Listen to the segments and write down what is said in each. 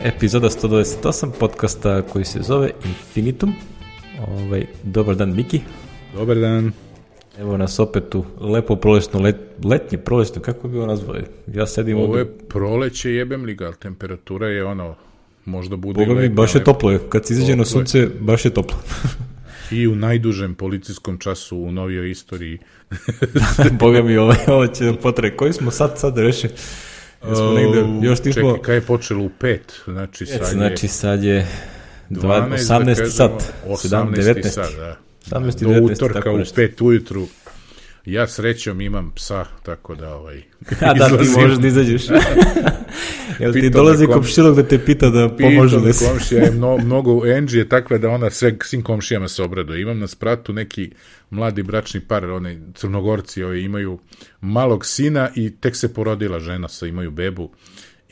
Epizoda 128 podcasta koji se zove Infinitum. Dobar dan, Miki. Dobar dan. Evo nas opet u lepo prolećno, letnje prolećno, kako bi ovo nazvao? Ja sedim ovo ovdje. Je proleće, jebem li ga, ali temperatura je možda bude... Boga mi, baš je toplo, kad se izađe na sunce, baš je toplo. I u najdužem policijskom času u novijoj istoriji. Boga mi, ovo će nam potrebe. Koji smo sad rešili? Čekaj, kada je počelo u 5? Znači sad je 18. sat. 18. sat, da. 18. Do 19. utorka u 5 ujutru. Ja srećom imam psa, tako da da, ti možeš da izađeš. Jel ti dolazi komšilog da te pita da pomožu da se... Komšija je mnogo, Angie je takva da ona svim komšijama se obraduje. Imam na spratu neki mladi bračni par, oni Crnogorci imaju malog sina i tek se porodila žena, imaju bebu.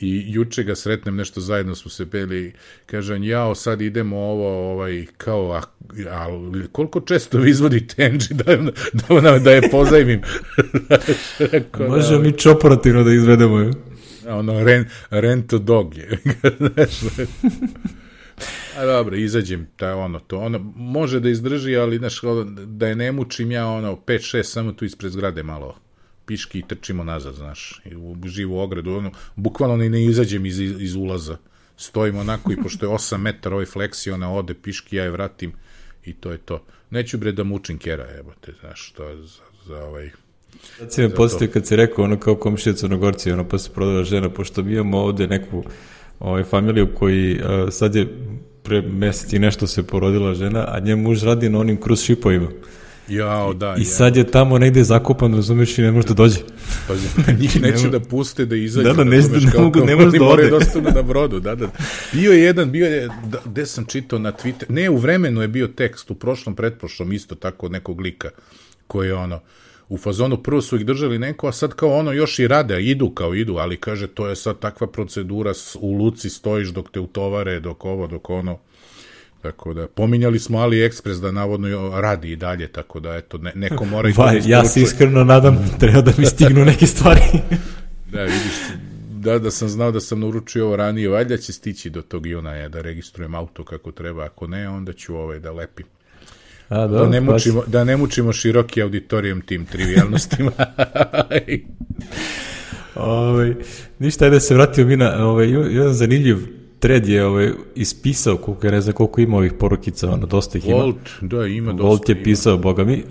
I juče ga sretnem, nešto zajedno smo se peli, kažem, sad idemo kao, koliko često vi izvodite Angie da je pozajmim? Možemo mi operativno da izvedemo. Rent a dog je. A dobro, izađem, ona može da izdrži, ali da je ne mučim ja 5-6 samo tu ispred zgrade malo piški i trčimo nazad, u živu ogradu, bukvalno ne izađem iz ulaza, stojim onako i pošto je 8 metara fleksija, ona ode piški, ja je vratim i to je to. Neću da mučim kera, to je za Sad si me postavio kad si rekao kao komšija Crnogorci, pa se prodala žena, pošto mi imamo ovde neku familiju koji sad je pre mesec i nešto se porodila žena, a njen muž radi na onim kruz šipovima. I sad je tamo negde zakopan, razumeš, i ne može da dođe. Njih neće da puste da izađe. Ne može da ode. Dostupno na brodu, Bio je, gde sam čitao na Twitter, ne, u Vremenu je bio tekst, u prošlom, pretprošlom, isto tako nekog lika, koji je u fazonu, prvo su ih držali neko, a sad kao još i rade, idu, ali kaže, to je sad takva procedura, u luci stojiš dok te utovare, dok ono. Tako da, pominjali smo AliExpress da navodno radi i dalje, tako da, eto, neko mora i to da isporučuje. Ja se iskreno nadam, treba da mi stignu neke stvari. Da, vidiš, da sam znao da sam naručio ovo ranije, valjda će stići do tog Junaja da registrujem auto kako treba, ako ne, onda ću da lepim. Da ne mučimo široki auditorijum tim trivijalnostima. Ništa, da se vratio mi na jedan zanimljiv thread je ispisao, koliko ima ovih porukica, dosta ih ima. Ima dosta. Volt je pisao, boga mi.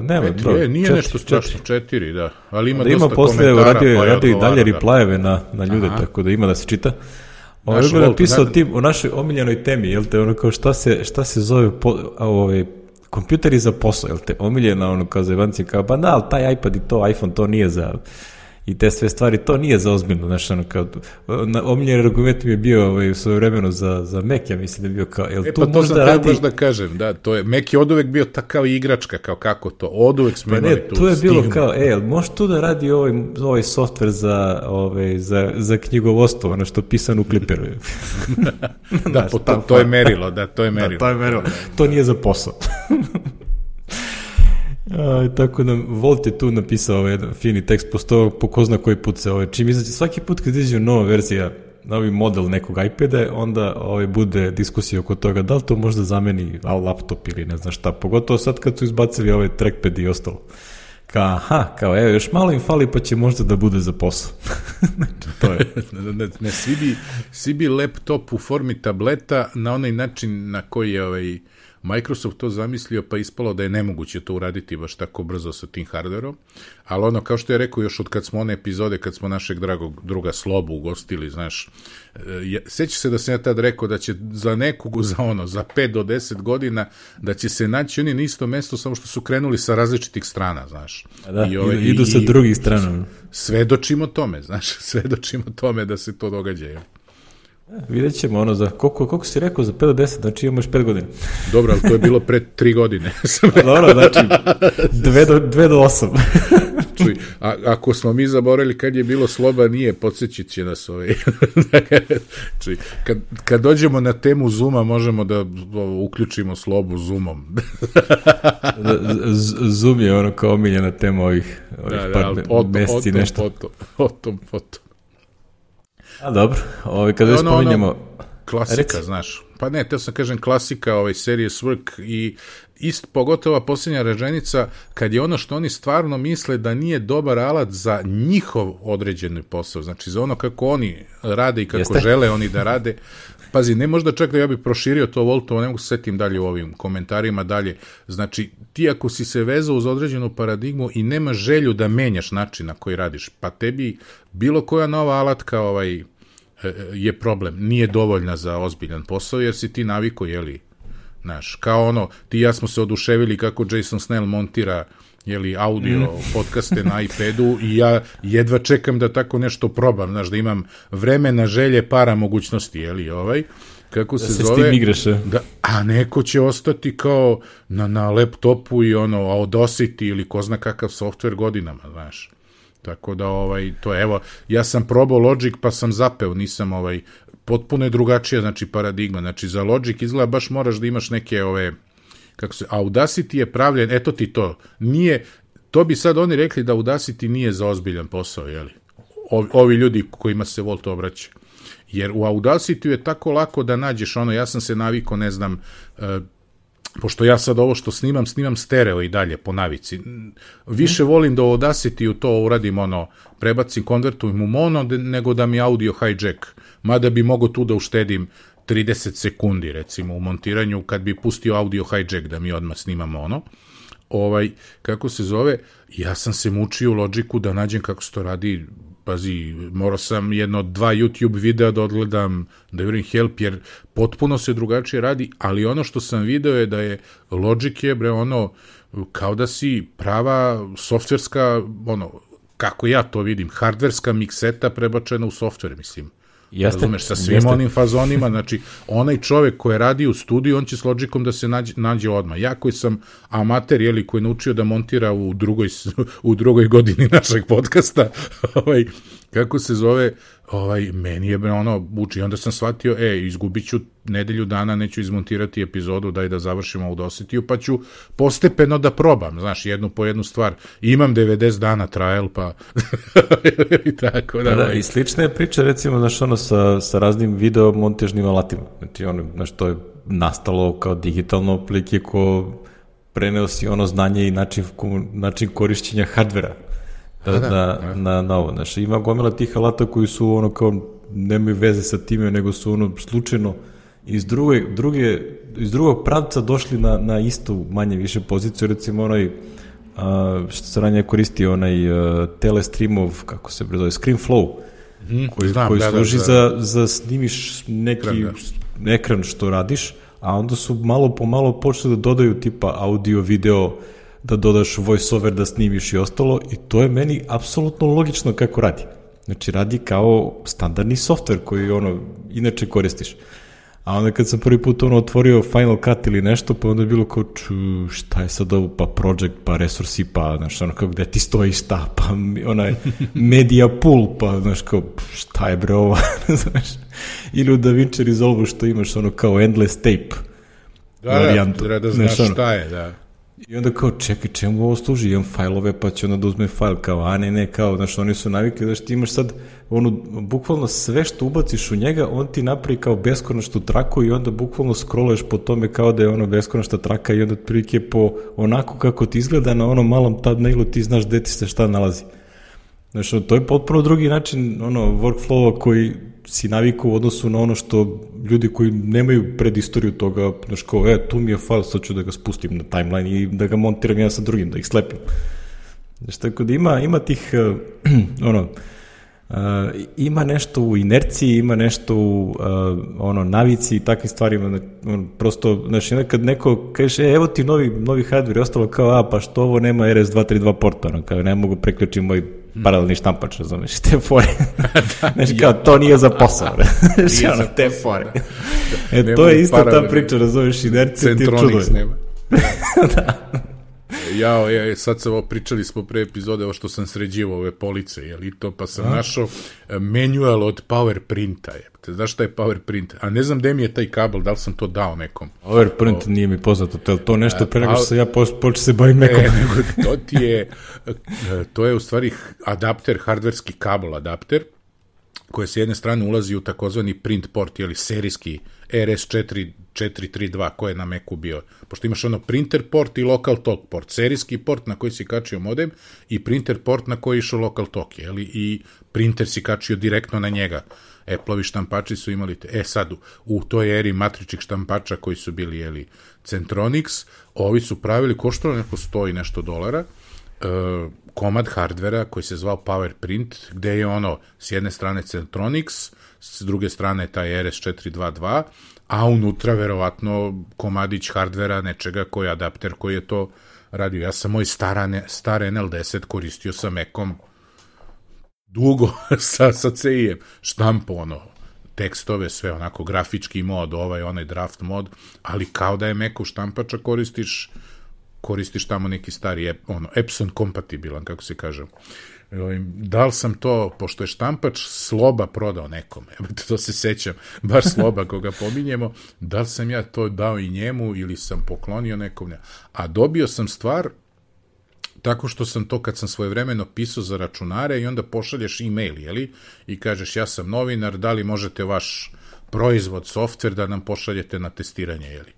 Nema, nije nešto strašno, 4, da. Ali ima dosta komentara. Radio i dalje replyeve na ljude, tako da ima da se čita. Ovo je napisao tim o našoj omiljenoj temi, jel te, kao šta se zove kompjuteri za posao, jel te, omiljena kao za Ivanci, kao, ali taj iPad i to, iPhone, to nije za, i te sve stvari, to nije za ozbiljno, kao, omiljeni argument mi je bio u svoje vremenu za Mac, ja mislim da je bio kao, jel to možda možda radi... baš da kažem, da, to je, Mac je od uvek bio takav igračka, kao kako to, od uvek smo imali tu to je bilo kao, može tu da radi ovaj softver za knjigovodstvo, što pisano u Clipperu. To je merilo, to nije za posao. Tako da Volt je tu napisao jedan fini tekst, po ko zna koji put se čim izađe, svaki put kad izađe nova verzija, novi model nekog iPada, onda bude diskusija oko toga da li to možda zameni laptop ili ne znam šta, pogotovo sad kad su izbacili trackpad i ostalo. Kao još malo im fali pa će možda da bude za posao. To je. Svi bi laptop u formi tableta na onaj način na koji je Microsoft to zamislio, pa ispalo da je nemoguće to uraditi baš tako brzo sa tim hardverom, ali kao što je rekao još od kad smo one epizode, kad smo našeg dragog druga Slobu ugostili, sjeća se da sam ja tad rekao da će za 5 do 10 godina, da će se naći oni na isto mesto, samo što su krenuli sa različitih strana, idu sa drugih strana. Svedočimo tome da se to događa, Vidjet ćemo za koliko si rekao, za 5 do 10, znači imamo još 5 godina. Dobro, ali to je bilo pre 3 godine. Dobro, znači 2 do 8. Čuj, ako smo mi zaboravili kad je bilo Sloba, nije, podsjećit će nas Čuj, kad dođemo na temu Zooma, možemo da uključimo Slobu Zoomom. Zoom je kao omiljena tema ovih par mjeseci nešto. Potom. A dobro, kada spominjemo... Klasika, znaš. Pa ne, teo sam kažem klasika Serious Work i pogotovo posljednja rečenica, kad je ono što oni stvarno misle da nije dobar alat za njihov određeni posao, znači za ono kako oni rade i kako žele oni da rade. Pazi, ne možda čak da ja bih proširio to Voltovo, ne mogu se setim dalje u ovim komentarima dalje. Znači, ti ako si se vezao uz određenu paradigmu i nema želju da menjaš način na koji radiš, pa tebi bilo koja nova alatka je problem, nije dovoljna za ozbiljan posao, jer si ti naviko, znaš, kao ti i ja smo se oduševili kako Jason Snell montira audio podcaste na iPadu i ja jedva čekam da tako nešto probam, znaš, da imam vremena, želje, para, mogućnosti, kako se zove, a neko će ostati kao na laptopu i Audacity ili ko zna kakav software godinama, znaš. Tako da, to je, evo, ja sam probao Logic pa sam zapeo, nisam, potpuno je drugačija, znači, paradigma, znači, za Logic izgleda baš moraš da imaš neke, Audacity je pravljen, eto ti to, nije, to bi sad oni rekli da Audacity nije za ozbiljan posao, ovi ljudi kojima se Volt obraća, jer u Audacity je tako lako da nađeš, ja sam se navikao, ne znam, pošto ja sad ovo što snimam stereo i dalje po navici. Više volim da u Audacity to uradim, prebacim, konvertujem u mono, nego da mi audio hijack. Mada bi mogo tu da uštedim 30 sekundi, recimo, u montiranju, kad bi pustio audio hijack da mi odmah snimam mono. Kako se zove, ja sam se mučio u Logicu da nađem kako se to radi. Pazi, morao sam 1-2 YouTube videa da odgledam, da jurim help, jer potpuno se drugačije radi, ali ono što sam video je da je Logic je, kao da si prava softverska, kako ja to vidim, hardverska mikseta prebačena u softver, mislim. Razumeš, sa svim onim fazonima, znači, onaj čovek koji radi u studiju, on će s Logicom da se nađe odmah. Ja koji sam amater, koji je naučio da montira u drugoj godini našeg podcasta, kako se zove, meni je uči. Onda sam shvatio, izgubit ću nedelju dana, neću izmontirati epizodu, daj da završimo u Audacity, pa ću postepeno da probam, znaš, jednu po jednu stvar. Imam 90 dana trial, pa tako da. I slična je priča, recimo, znaš, sa raznim video montažnim alatima. Znači, znaš, to je nastalo kao digitalno aplike ko preneo si znanje i način korišćenja hardvera. Na ovo, znači, ima gomila tih alata koji su kao nemaju veze sa time, nego su slučajno iz drugog pravca došli na istu manje više poziciju, recimo što se ranije koristio Telestreamov, kako se prezove, ScreenFlow, koji služi za snimiš neki ekran što radiš, a onda su malo po malo počeli da dodaju tipa audio, video, da dodaš voiceover, da snimiš i ostalo, i to je meni apsolutno logično kako radi. Znači, radi kao standardni software koji inače koristiš. A onda kad sam prvi put otvorio Final Cut ili nešto, pa onda je bilo kao, šta je sad ovo, pa project, pa resursi, pa, znaš, kao gde ti stoji šta, pa media pool, pa, znaš, kao, šta je bre ovo, znaš, ili u DaVinci Resolve što imaš kao endless tape varijantu. Da znaš šta je, da. I onda kao, čekaj, čemu ovo služi? Imam fajlove, pa će onda da uzme fajl, kao, a ne, kao, znaš, oni su navikli da ti imaš sad, bukvalno sve što ubaciš u njega, on ti napravi kao beskonačnu traku i onda bukvalno scrolluješ po tome kao da je beskonačna traka i onda otprilike po onako kako ti izgleda na malom thumbnailu ti znaš gde ti se šta nalazi. Znaš, to je potpuno drugi način workflowa koji si navikao u odnosu na što ljudi koji nemaju predistoriju toga, znaš, kao, tu mi je file, sad ću da ga spustim na timeline i da ga montiram ja sa drugim, da ih slepim. Znaš, tako da ima tih, ima nešto u inerciji, ima nešto u navici i takvim stvarima, prosto, znaš, kad neko kaže, evo ti novi hardware i ostalo kao, pa što ovo nema RS232 porta, kao ne mogu preključiti moj paralelni štampač, razumeš, te fore. Znaš, kao, to nije za posao, znaš, te fore. To je isto ta priča, razumeš, inercija ti je čudo. Centronics nema. Da. Sad sam pričali smo pre epizode o što sam sređivao ove police, pa sam našao manual od PowerPrinta. Znaš šta je PowerPrint? A ne znam gde mi je taj kabel, da li sam to dao nekom. PowerPrint nije mi poznato, to nešto pre nego što se ja počeo se bavim nekom. To je u stvari adapter, hardverski kabel adapter, koje s jedne strane ulazi u takozvani print port, ili serijski RS432, koji je na Macu bio. Pošto imaš ono printer port i local talk port. Serijski port na koji si kačio modem i printer port na koji je išao local talk, jeli? I printer si kačio direktno na njega. Apple-ovi štampači su imali sad u toj eri matričnih štampača koji su bili, jeli, Centronix, ovi su pravili, koštalo neko $100 i nešto, komad hardvera koji se zvao PowerPrint, gde je ono s jedne strane Centronix, s druge strane taj RS422, a unutra verovatno komadić hardvera nečega koji je adapter koji je to radio. Ja sam moj star NL10 koristio sa Macom dugo sa CI-em, štampo, ono, tekstove, sve onako, grafički mod, onaj draft mod, ali kao da je Macov štampača koristiš tamo neki stari, Epson kompatibilan, kako se kaže. Da li sam to, pošto je štampač Sloba prodao nekome, to se sećam, baš Sloba koga pominjemo, da li sam ja to dao i njemu ili sam poklonio nekom, a dobio sam stvar tako što sam to kad sam svojevremeno pisao za računare i onda pošalješ e-mail, jeli, i kažeš ja sam novinar, da li možete vaš proizvod, softver da nam pošaljete na testiranje, jeli.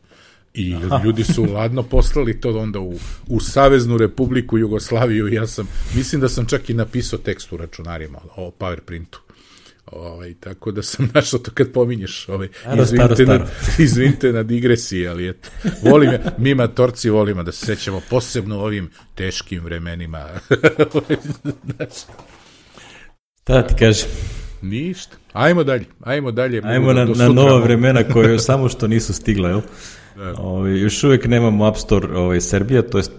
I ljudi su ladno poslali to onda u Saveznu Republiku Jugoslaviju i ja mislim da sam čak i napisao tekst u računarima o PowerPrintu. Tako da sam našao to kad pominješ. Izvinite na digresiji, ali eto. Mi matorci volimo da se sećamo posebno u ovim teškim vremenima. Šta da ti kažem? Ništa. Ajmo dalje. Ajmo na nova vremena koje samo što nisu stigla, jel? Još uvijek nemamo App Store Srbija, to jest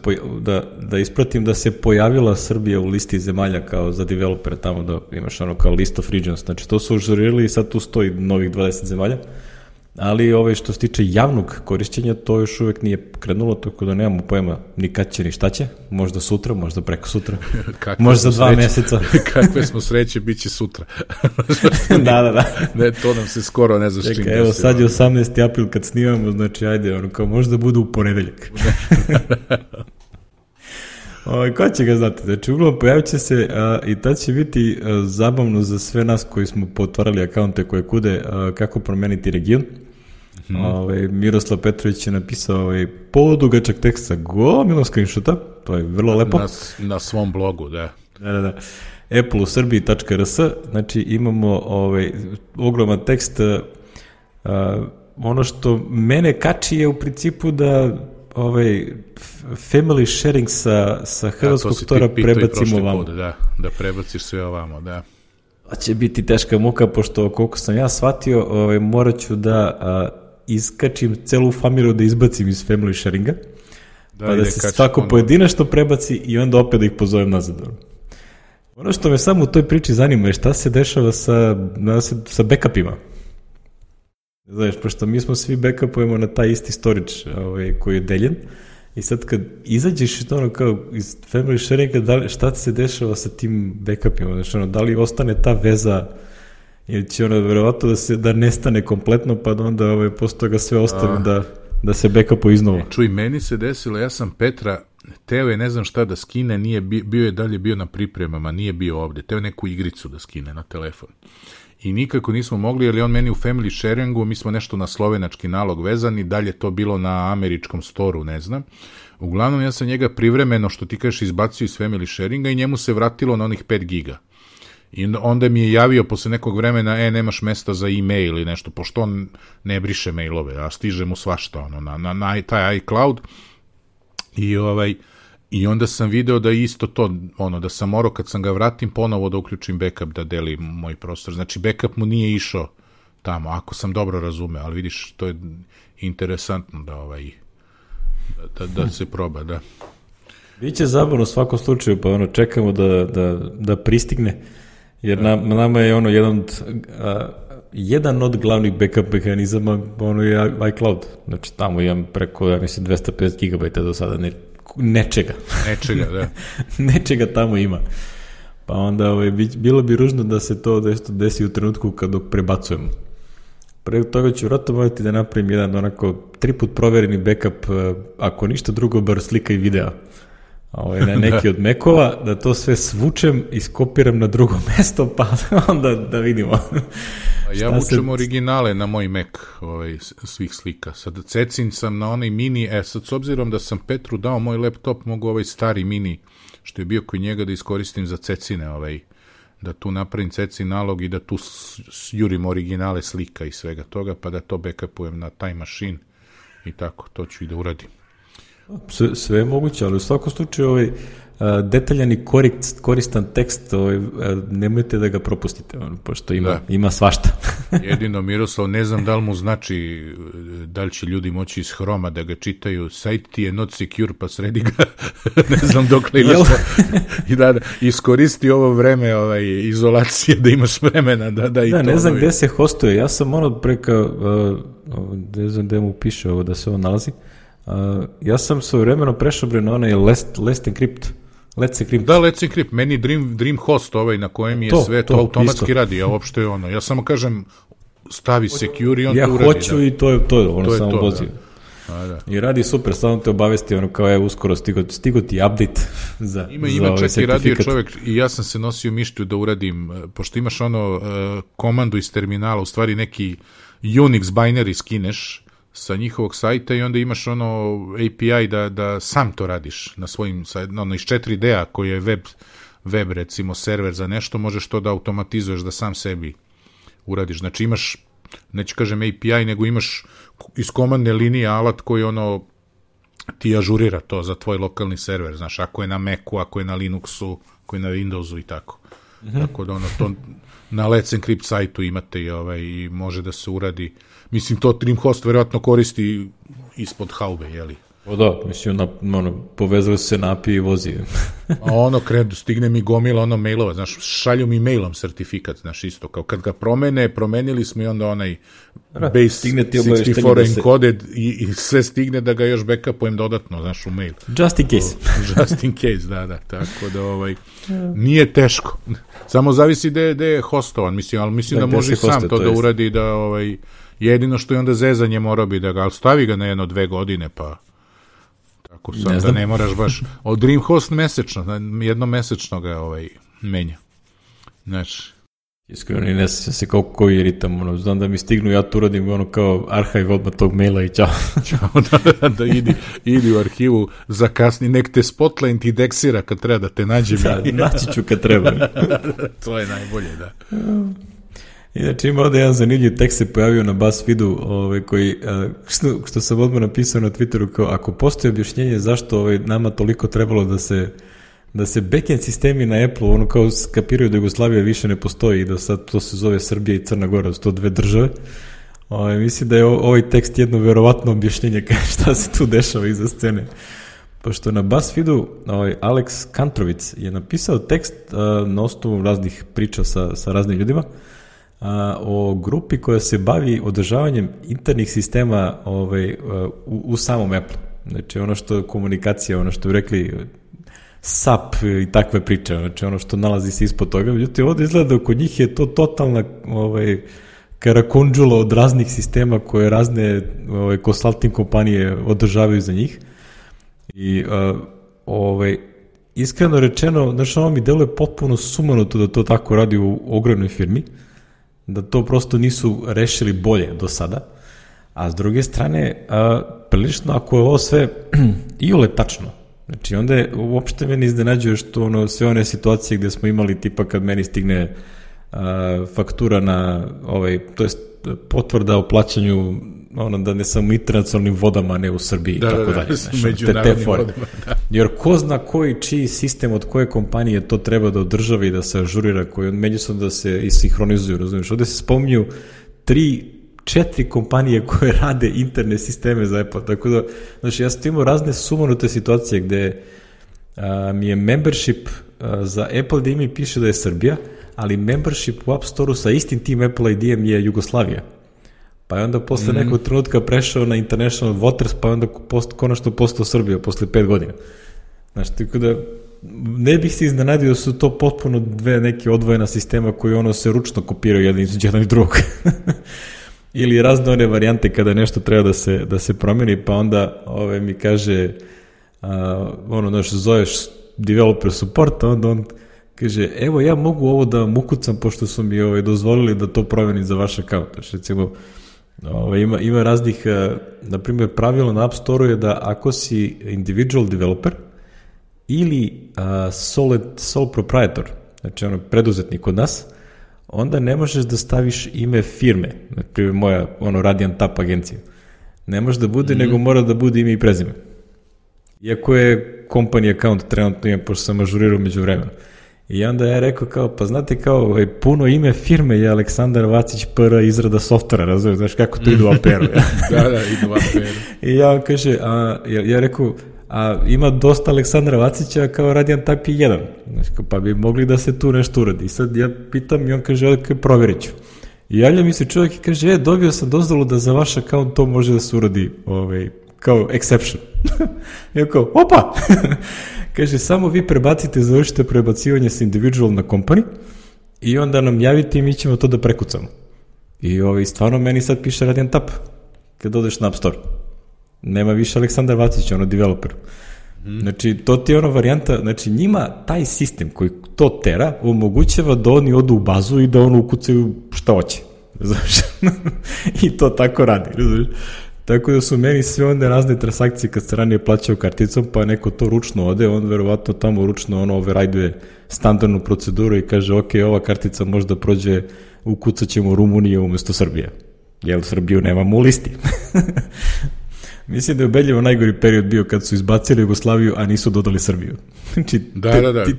da ispratim da se pojavila Srbija u listi zemalja kao za developere, tamo da imaš ono kao list of regions, znači to su užurili i sad tu stoji novih 20 zemalja, ali što se tiče javnog korišćenja to još uvijek nije krenulo, tako da nemamo pojma ni kad će ni šta će, možda sutra, možda preko sutra, možda za 2 meseca. Kakve smo sreće, bit će sutra. Da. Ne, to nam se skoro ne znaš čim. Evo sad je 18. april kad snimamo, znači ajde, kao možda bude u ponedeljak. Ko će ga znati? Znači, uglavnom pojavit će se i tad će biti zabavno za sve nas koji smo potvarali akaunte koje kude kako promeniti region. Miroslav Petrović je napisao podugačak tekst sa gomilom screenshota, to je vrlo lepo. Na svom blogu, da. Da. appleuserbiji.rs, znači imamo ogroman tekst. Ono što mene kači je u principu da family sharing sa hrvatskog stora prebacimo ovamo. Da prebaciš sve ovamo, da. Će biti teška muka, pošto koliko sam ja shvatio, morat ću da iskačim celu familiju da izbacim iz family sharinga, pa da se svako pojedinačno prebaci i onda opet da ih pozovem nazad. Ono što me samo u toj priči zanima je šta se dešava sa backupima. Znaš, pošto mi smo svi backupujemo na taj isti storage koji je deljen i sad kad izađeš kao iz family sharinga, šta se dešava sa tim backupima? Znači, da li ostane ta veza ili će verovatno da nestane kompletno, pa da onda posle toga sve ostane da se backupuje iznova? Čuj, meni se desilo, ja sam Petra teo je ne znam šta da skine, bio je na pripremama, nije bio ovde, teo neku igricu da skine na telefon. I nikako nismo mogli, jer je on meni u family sharingu, mi smo nešto na slovenački nalog vezani, dalje to bilo na američkom storu, ne znam. Uglavnom, ja sam njega privremeno, što ti kažeš, izbacio iz family sharinga i njemu se vratilo na onih 5 giga. I onda mi je javio posle nekog vremena, nemaš mesta za e-mail ili nešto, pošto on ne briše mailove, a stiže mu svašta na taj iCloud. I onda sam video da je isto to, da sam morao kad sam ga vratim ponovo da uključim backup da deli moj prostor. Znači backup mu nije išao tamo, ako sam dobro razumeo, ali vidiš, to je interesantno da se proba, da. Biće zabavno u svakom slučaju, pa čekamo da pristigne, jer nama je jedan od glavnih backup mehanizama je iCloud. Znači tamo imam preko, ja mislim, 250 GB do sada nečega, da. Nečega tamo ima. Pa onda bilo bi ružno da se to desi u trenutku kad prebacujemo. Pre toga ću vratno morati da napravim jedan 3 put provereni backup, ako ništa drugo, bar slika i videa. na neki od mekova, da to sve svučem, iskopiram na drugo mesto, pa onda da vidimo. Ja vučem originale na moj Mac svih slika. Sad cecin sam na onaj mini, sad s obzirom da sam Petru dao moj laptop, mogu ovaj stari mini, što je bio kod njega, da iskoristim za cecine, da tu napravim cecin nalog i da tu jurim originale slika i svega toga, pa da to backupujem na Time Machine i tako, to ću i da uradim. Sve je moguće, ali u svakom slučaju detaljan i koristan tekst, nemojte da ga propustite, pošto ima svašta. Jedino, Miroslav, ne znam da li mu znači, da li će ljudi moći iz Hroma da ga čitaju, sajt ti je not secure, pa sredi ga, ne znam dok li imaš i da iskoristi ovo vreme izolacije, da imaš vremena da i to... Ne znam gde se hostuje, ja sam preka, ne znam gde mu piše ovo da se ovo nalazi, ja sam svojevremeno prešao na onaj Let's Encrypt. Da, Let's Encrypt, meni Dream Host na kojem je sve to automatski isto radi, ja uopšte ja samo kažem stavi secure i on to uradi. Ja hoću i to je samo vozi. I radi super, samo te obavesti kao uskoro stigo ti update za Ima čak i radio čovjek i ja sam se nosio mišlju da uradim, pošto imaš komandu iz terminala, u stvari neki Unix binary skineš sa njihovog sajta i onda imaš API da sam to radiš na svojim, iz 4D-a koji je web recimo server za nešto, možeš to da automatizuješ da sam sebi uradiš. Znači imaš, neću kažem API, nego imaš iz komandne linije alat koji ti ažurira to za tvoj lokalni server, znaš, ako je na Macu, ako je na Linuxu, ako je na Windowsu i tako. Tako da to na Let's Encrypt sajtu imate i može da se uradi. Mislim, to Dreamhost verovatno koristi ispod haube, jeli? Da, mislim, povezali se na API i vozi. A stigne mi gomila mailova, znaš, šalju mi mailom sertifikat, znaš, isto, kao kad ga promenili smo i onda onaj base 64 encoded i sve stigne da ga još backupujem dodatno, znaš, u mail. Just in case. Just in case, da, tako da, nije teško. Samo zavisi gde je hostovan, ali mislim da može sam to da uradi, da, jedino što je onda zezanje morao bi da ga, ali stavi ga na 1-2 godine, pa tako sam, da ne moraš baš, od Dreamhost mesečno, jednomesečno ga menja. Znači. Iskreno, ne sjećam se koji je ritam, znam da mi stignu, ja tu uradim kao arhiv odmah tog maila i čao. Da idi u arhivu, zakasni, nek te Spotlight indeksira kad treba da te nađem. Naći ću kad treba. To je najbolje, da. Inače ima ovdje jedan zanimljiv tekst se pojavio na BuzzFeedu koji, što sam odmah napisao na Twitteru, kao ako postoji objašnjenje zašto nama toliko trebalo da se backend sistemi na Apple kao skapiraju da Jugoslavija više ne postoji i da sad to se zove Srbija i Crna Gora, to 2 države. Mislim da je ovaj tekst jedno verovatno objašnjenje šta se tu dešava iza scene. Pošto na BuzzFeedu Alex Kantrovic je napisao tekst na osnovu raznih priča sa raznim ljudima o grupi koja se bavi održavanjem internih sistema u samom Apple. Znači ono što je komunikacija, ono što bi rekli SAP i takve priče, znači ono što nalazi se ispod toga. Međutim, ovdje izgleda da kod njih je to totalna karakundžula od raznih sistema koje razne consulting kompanije održavaju za njih. I iskreno rečeno, znači ono mi deluje potpuno sumanuto da to tako radi u ogromnoj firmi, da to prosto nisu rešili bolje do sada, a s druge strane, prilično ako je ovo sve iole tačno, znači onda je, uopšte meni iznenađuje što sve one situacije gde smo imali tipa kad meni stigne faktura na to jest potvrda o plaćanju da ne samo internacionalnim vodama, ne u Srbiji i tako dalje. Međunarodnim vodama, da. Jer ko zna čiji sistem od koje kompanije to treba da održava i da se ažurira, koji međusobno da se isinhronizuju, razumiješ? Ovde se spominju 3-4 kompanije koje rade interne sisteme za Apple, tako da, znači ja sam imao razne sumanute situacije gde mi je membership za Apple gde mi piše da je Srbija, ali membership u App Store-u sa istim tim Apple ID-em je Jugoslavija. Pa je onda posle nekog trenutka prešao na International Waters, pa je onda konačno postao Srbija posle 5 godina. Znači, tako da ne bih se iznenadio da su to potpuno 2 neke odvojena sistema koji se ručno kopiraju jedan i drugog. Ili razne one varijante kada nešto treba da se promeni, pa onda mi kaže zoveš developer support, onda on kaže, evo ja mogu ovo da vam ukucam pošto su mi dozvolili da to promenim za vaš account. Znači, recimo, ima raznih, na primjer, pravilo na App Store-u je da ako si individual developer ili sole proprietor, znači preduzetnik kod nas, onda ne možeš da staviš ime firme, na primjer moja Radiant Tap agencija. Ne može da bude, nego mora da bude ime i prezime. Iako je company account trenutno ima, pošto sam ažurirao među vremena. I onda ja rekao kao, pa znate kao, puno ime firme je Aleksandar Vacić PR izrada softvera, razumiješ, znaš kako to ide u APR-u. Da, ide u APR-u. I ja kaže, ja rekao, ima dosta Aleksandra Vacića kao Radiant Tap 1, znači, pa bi mogli da se tu nešto uradi. I sad ja pitam i on kaže, provjerit ću. I javlja mi se čovjek i kaže, dobio sam dozvolu da za vaš account to može da se uradi kao exception. I ja kao, opa! Kaže, samo vi završite prebacivanje s individual na company i onda nam javite i mi ćemo to da prekucamo. I stvarno meni sad piše Radiant Tap kad odeš na App Store. Nema više Aleksandar Vacić, developer. Znači, to ti je varijanta, znači njima taj sistem koji to tera omogućava da oni odu u bazu i da ukucaju šta hoće. Znaš? I to tako radi, znaš? Tako da su meni sve onda razne transakcije kad se ranije plaćao karticom, pa neko to ručno ode, on verovatno tamo ručno override standardnu proceduru i kaže, ok, ova kartica možda prođe, ukucat ćemo Rumuniju umjesto Srbije. Jer Srbiju nemamo u listi. Mislim da je ubedljivo najgori period bio kad su izbacili Jugoslaviju, a nisu dodali Srbiju. Znači,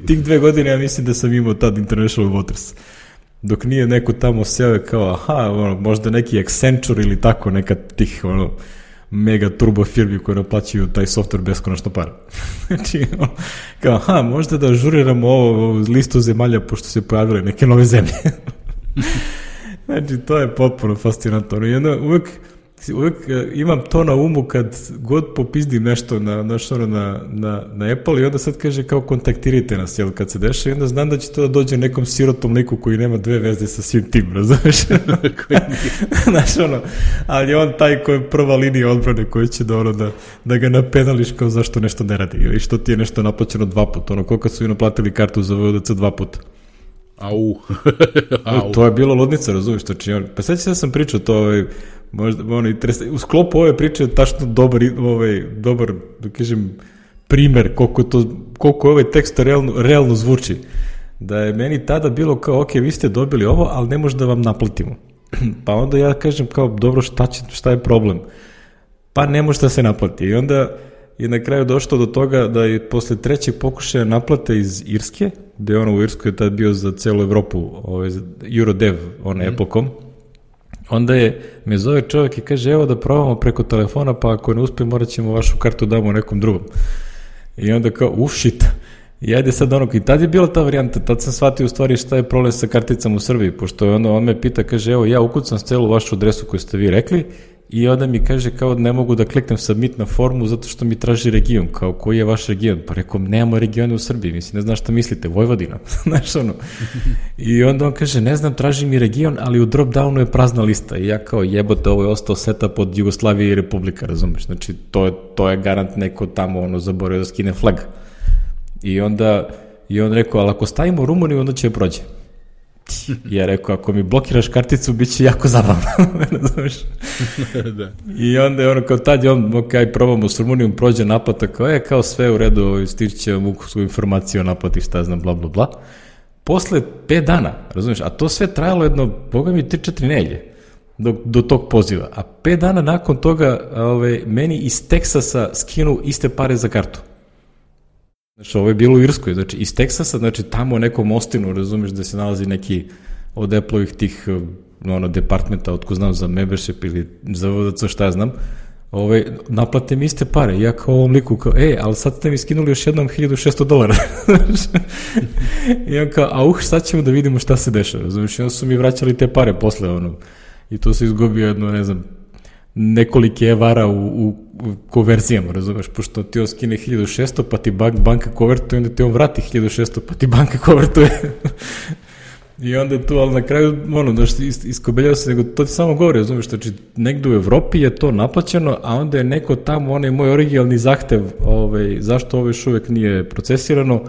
tih 2 godine ja mislim da sam imao tad International Waters. Dok nije neko tamo seo kao, možda neki Accenture ili tako, neka tih mega turbo firmi koje naplaćuju taj software beskonačno para. Znači, kao, možda da ažuriramo ovo listu zemalja pošto se pojavile neke nove zemlje. Znači, to je potpuno fascinantno. I onda uvek imam to na umu kad god popizdim nešto na Apple i onda sad kaže kao kontaktirajte nas, jel, kad se deša, i onda znam da će to da dođe nekom sirotom liku koji nema 2 veze sa svim tim, razumeš? Znaš, ali on taj koji je prva linija odbrane koji će da ga napenališ kao zašto nešto ne radi ili što ti je nešto naplaćeno 2 puta, koliko su i naplatili kartu za VDC 2 puta. Au. To je bilo ludnica, razumiješ, pa sad da sam pričao to, možda, u sklopu ove priče je tačno dobar, da kažem, primer koliko ovaj tekst realno zvuči. Da je meni tada bilo kao, ok, vi ste dobili ovo, ali ne može da vam naplatimo. Pa onda ja kažem kao, dobro, šta je problem? Pa ne može da se naplati. I onda je na kraju došlo do toga da je posle 3. pokušaja naplate iz Irske, gde je u Irskoj je tad bio za celu Evropu Eurodev, Apple.com, onda me zove čovjek i kaže, evo da probamo preko telefona, pa ako ne uspije morat ćemo vašu kartu damo nekom drugom. I onda kao, shit. I ajde sad i tad je bila ta varijanta, tad sam shvatio u stvari šta je problem sa karticama u Srbiji, pošto on me pita, kaže, evo ja ukucam celu vašu adresu koju ste vi rekli, i onda mi kaže kao ne mogu da kliknem submit na formu zato što mi traži region, kao koji je vaš region, pa rekao nemamo regione u Srbiji, mislim ne znam šta mislite, Vojvodina, znaš i onda on kaže ne znam, traži mi region, ali u drop downu je prazna lista i ja kao jebote, ovo je ostao setup od Jugoslavije i Republika, razumeš, znači to je garant neko tamo zaboravio da skine flag i on rekao, ali ako stavimo Rumuniju onda će prođe. Ja rekao, ako mi blokiraš karticu, bit će jako zabavno. Da. I onda je kao tad je ok, probamo s Rumunijom, prođe naplata, kao sve u redu, stiće vam informaciju o naplati, šta znam, bla, bla, bla. Posle 5 dana, razumiješ, a to sve trajalo jedno, boga mi 3-4 nedelje do tog poziva, a 5 dana nakon toga meni iz Teksasa skinu iste pare za kartu. Znači, ovo je bilo u Irskoj, znači iz Teksasa, znači tamo u nekom Ostinu, razumiješ, da se nalazi neki od Apple-ovih tih departmenta, otko znam za membership ili za VDC, šta ja znam, naplate mi iste pare, ja kao ovom liku, kao, ali sad ste mi skinuli još jednom $1,600. I on kao, sad ćemo da vidimo šta se dešava, razumiješ, i onda su mi vraćali te pare posle, i to se izgubio jedno, ne znam, nekolike evara u konverzijama, razumeš, pošto ti on skine 1600, pa ti banka konvertuje, onda ti on vrati 1600, pa ti banka konvertuje. I onda je tu, ali na kraju, iskobeljao se, nego to ti samo govori, razumiješ, znači, negdje u Evropi je to naplaćeno, a onda je neko tamo, onaj moj originalni zahtev, zašto ovo još uvek nije procesirano,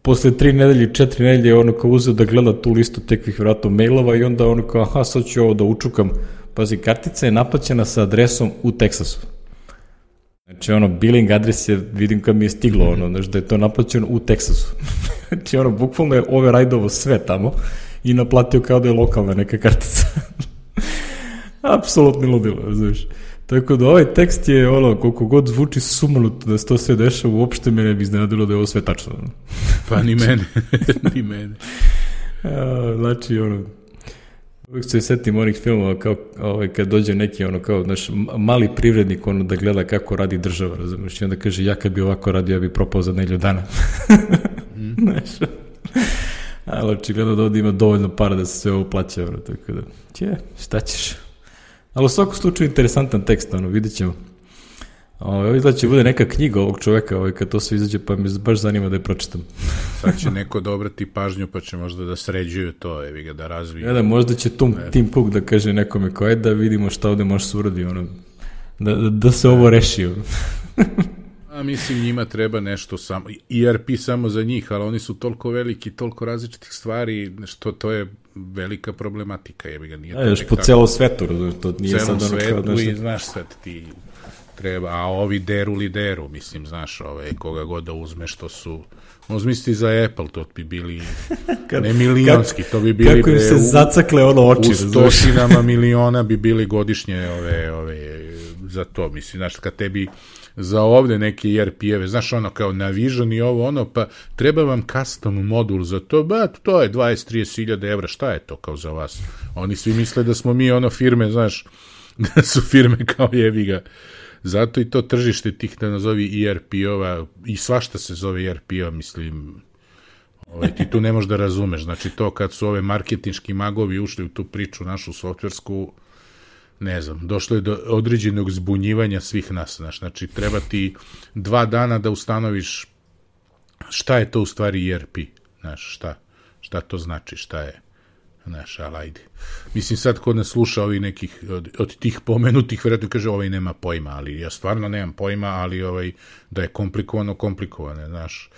posle 3 nedelje, 4 nedelje, ono kao uzeo da gleda tu listu tekvih vratno mailova i onda ono kao, aha, sad ću ovo da učukam. Pazi, kartica je naplaćena sa adresom u Teksasu. Znači, billing adres je, vidim kad mi je stiglo, znači da je to naplaćeno u Teksasu. Znači, bukvalno je override-ovo sve tamo i naplatio kao da je lokalna neka kartica. Apsolutno ludilo, znaš. Tako da ovaj tekst je, koliko god zvuči sumanuto da se to sve dešava, uopšte me ne bi iznenadilo da je ovo sve tačno. Pa ni mene, ni mene. Znači, uvijek se setim onih filmova kao kad dođe neki kao naš mali privrednik da gleda kako radi država, razumiješ, i onda kaže ja kad bi ovako radio ja bi propao za nedelju dana. Znaš, ali očigledno da ovdje ima dovoljno para da se sve ovo plaća, tako da, šta ćeš. Ali u svakom slučaju interesantan tekst, vidit ćemo. Ovo izgleda će bude neka knjiga ovog čoveka kad to sve izađe, pa me baš zanima da je pročitam. Sad će neko da obrati pažnju, pa će možda da sređuju to, da razviju. Da, možda će Tim Cook da kaže nekome koje da vidimo šta ovde može se uradi, da se ovo reši. A mislim, njima treba nešto samo, ERP samo za njih, ali oni su toliko veliki, toliko različitih stvari, što to je velika problematika. Još po celom svetu, to nije sad svetu i znaš sad ti treba, a ovi deru, mislim, znaš, koga god da uzmeš, to su, uzmisli za Apple, to bi bili ne milionski, to bi bili kako im se zacakle oči, u stotinama miliona bi bili godišnje za to, mislim, znaš, kad tebi za ovde neke ERP-eve, znaš, kao na Vision i ovo, pa treba vam custom modul za to, to je 20-30 hiljada evra, šta je to kao za vas? Oni svi misle da smo mi firme, znaš, da su firme kao jebiga. Zato i to tržište tih, da nazovi ERP-ova, i svašta se zove ERP-ova, mislim, ti tu ne možeš da razumeš, znači to kad su ove marketinški magovi ušli u tu priču našu softversku, ne znam, došlo je do određenog zbunjivanja svih nas, znači treba ti 2 dana da ustanoviš šta je to u stvari ERP, znaš, šta to znači, šta je, znaš, ali ajde. Mislim, sad kod nas sluša ovi nekih, od tih pomenutih, vjerojatno kaže, ovaj nema pojma, ali ja stvarno nemam pojma, ali da je komplikovano, znaš.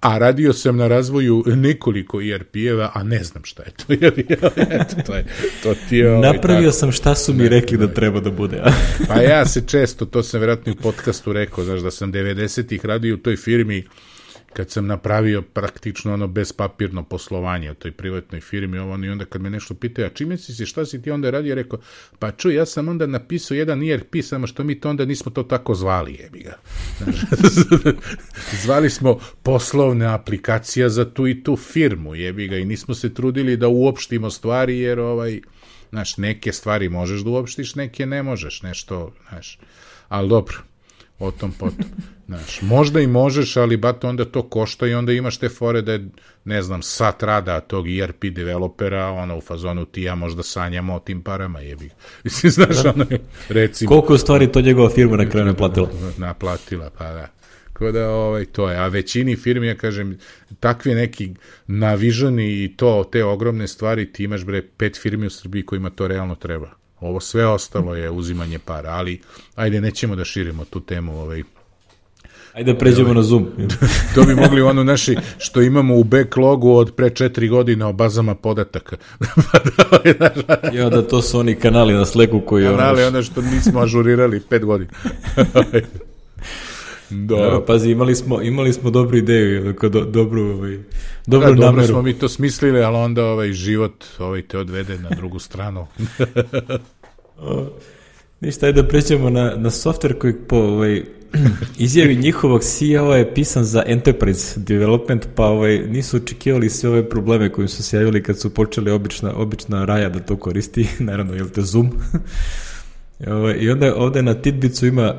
A radio sam na razvoju nekoliko ERP-eva, a ne znam šta je to. To ti je napravio sam šta su mi rekli da treba da bude. Pa ja se često, to sam vjerojatno u podcastu rekao, znaš, da sam 90-ih radio u toj firmi, kad sam napravio praktično bezpapirno poslovanje u toj privatnoj firmi, i onda kad me nešto pitaju, a čime si se, šta si ti onda radio, rekao, pa čuj, ja sam onda napisao jedan ERP, samo što mi to onda nismo to tako zvali, jebiga. Zvali smo poslovna aplikacija za tu i tu firmu, jebiga, i nismo se trudili da uopštimo stvari, jer znaš, neke stvari možeš da uopštiš, neke ne možeš, nešto, znaš, ali dobro. O tom potom. Znaš, možda i možeš, ali onda to košta i onda imaš te fore da je, ne znam, sat rada tog ERP developera, u fazonu ti ja možda sanjamo o tim parama, jebi. Mislim, znaš, recimo... Koliko u stvari to njegova firma na kraju naplatila? Naplatila, pa da. Tako da, to je. A većini firmi, ja kažem, takvi neki navižani i te ogromne stvari, ti imaš, 5 firmi u Srbiji kojima to realno treba. Ovo sve ostalo je uzimanje para, ali ajde, nećemo da širimo tu temu. Ajde da pređemo na Zoom. To bi mogli naši, što imamo u backlogu od pre 4 godine o bazama podataka. Ja, da to su oni kanali na Slacku koji... Kanali, što nismo ažurirali 5 godina. Pazi, imali smo dobru ideju, dobru nameru. Dobro smo mi to smislili, ali onda život te odvede na drugu stranu. Ništa, ajde da pređemo na software koji po izjavi njihovog CEO je pisan za enterprise development, pa nisu očekivali sve ove probleme koji su se javili kad su počeli obična raja da to koristi, naravno, jel te Zoom. I onda ovde na Tidbicu ima...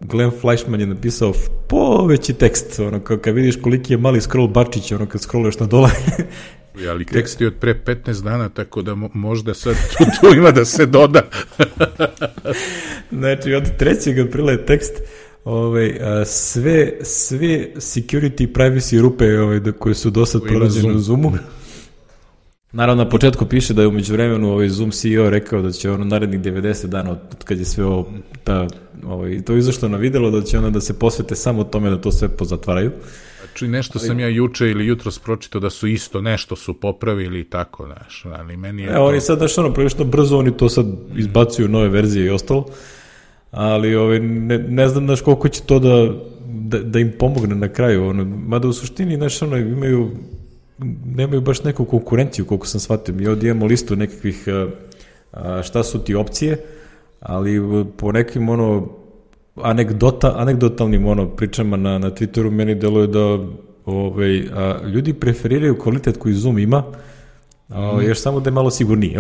Glenn Fleischman je napisao poveći tekst, kad vidiš koliki je mali scroll bačić, kad scrolluješ na dole. Ali tekst je od pre 15 dana, tako da možda sad tu ima da se doda. Znači, od 3. aprila je tekst sve security privacy rupe koje su do sad pronađene u Zoomu. Naravno, na početku piše da je umeđu vremenu Zoom CEO rekao da će narednih 90 dana od kad je sve to izašlo na videlo, da će onda da se posvete samo tome da to sve pozatvaraju. Znači, nešto sam ja juče ili jutros pročitao da su isto nešto su popravili i tako, znaš, ali meni je oni sad, znaš, prilično brzo oni to sad izbacuju nove verzije i ostalo, ali ne znam, znaš, koliko će to da im pomogne na kraju, mada u suštini, znaš, nemaju baš neku konkurenciju, koliko sam shvatio. Mi ovdje imamo listu nekakvih šta su ti opcije, ali po nekim anegdotalnim pričama na Twitteru meni deluje da ljudi preferiraju kvalitet koji Zoom ima, još samo da je malo sigurnije.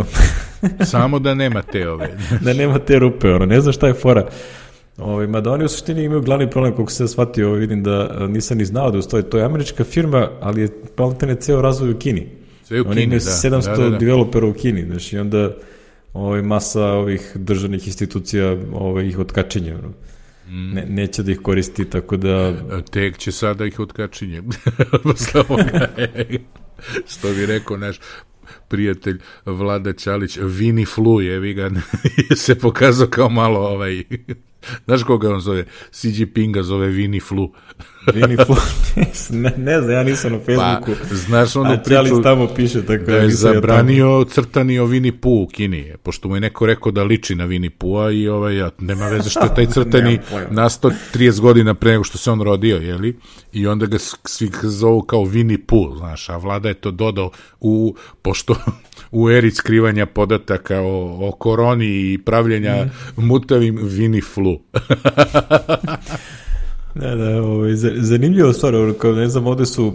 Samo da nema te da nema te rupe, ne znam šta je fora. Mada oni u suštini imaju glavni problem, koliko se shvatio, vidim da nisam ni znao da ustoji. To je američka firma, ali je planetene ceo razvoj u Kini. Sve u Kini, oni imaju 700 developera u Kini, znači, i onda masa ovih državnih institucija ih otkačenja. Neće da ih koristi, tako da... Tek će sada ih otkačenje. Posle ovoga, što bi rekao naš prijatelj Vlada Ćalić, Vini Flu je se pokazao kao malo znaš koga on zove? Xi Jinpinga zove Vini Flu. Vini Flu, ne znam, ja nisam na Facebooku. Pa, znaš onu priču Ćalić tamo piše, tako da je zabranio crtani o Vini Pooh u Kini, pošto mu je neko rekao da liči na Vini Pooha i nema veze što je taj crtani nastao 30 godina pre nego što se on rodio, jeli? I onda ga svi zovu kao Vini Pooh, znaš, a Vlada je to dodao pošto u eri skrivanja podataka o koroni i pravljenja mutavim Vini Flu. Zanimljivo stvar, ne znam, ovde su,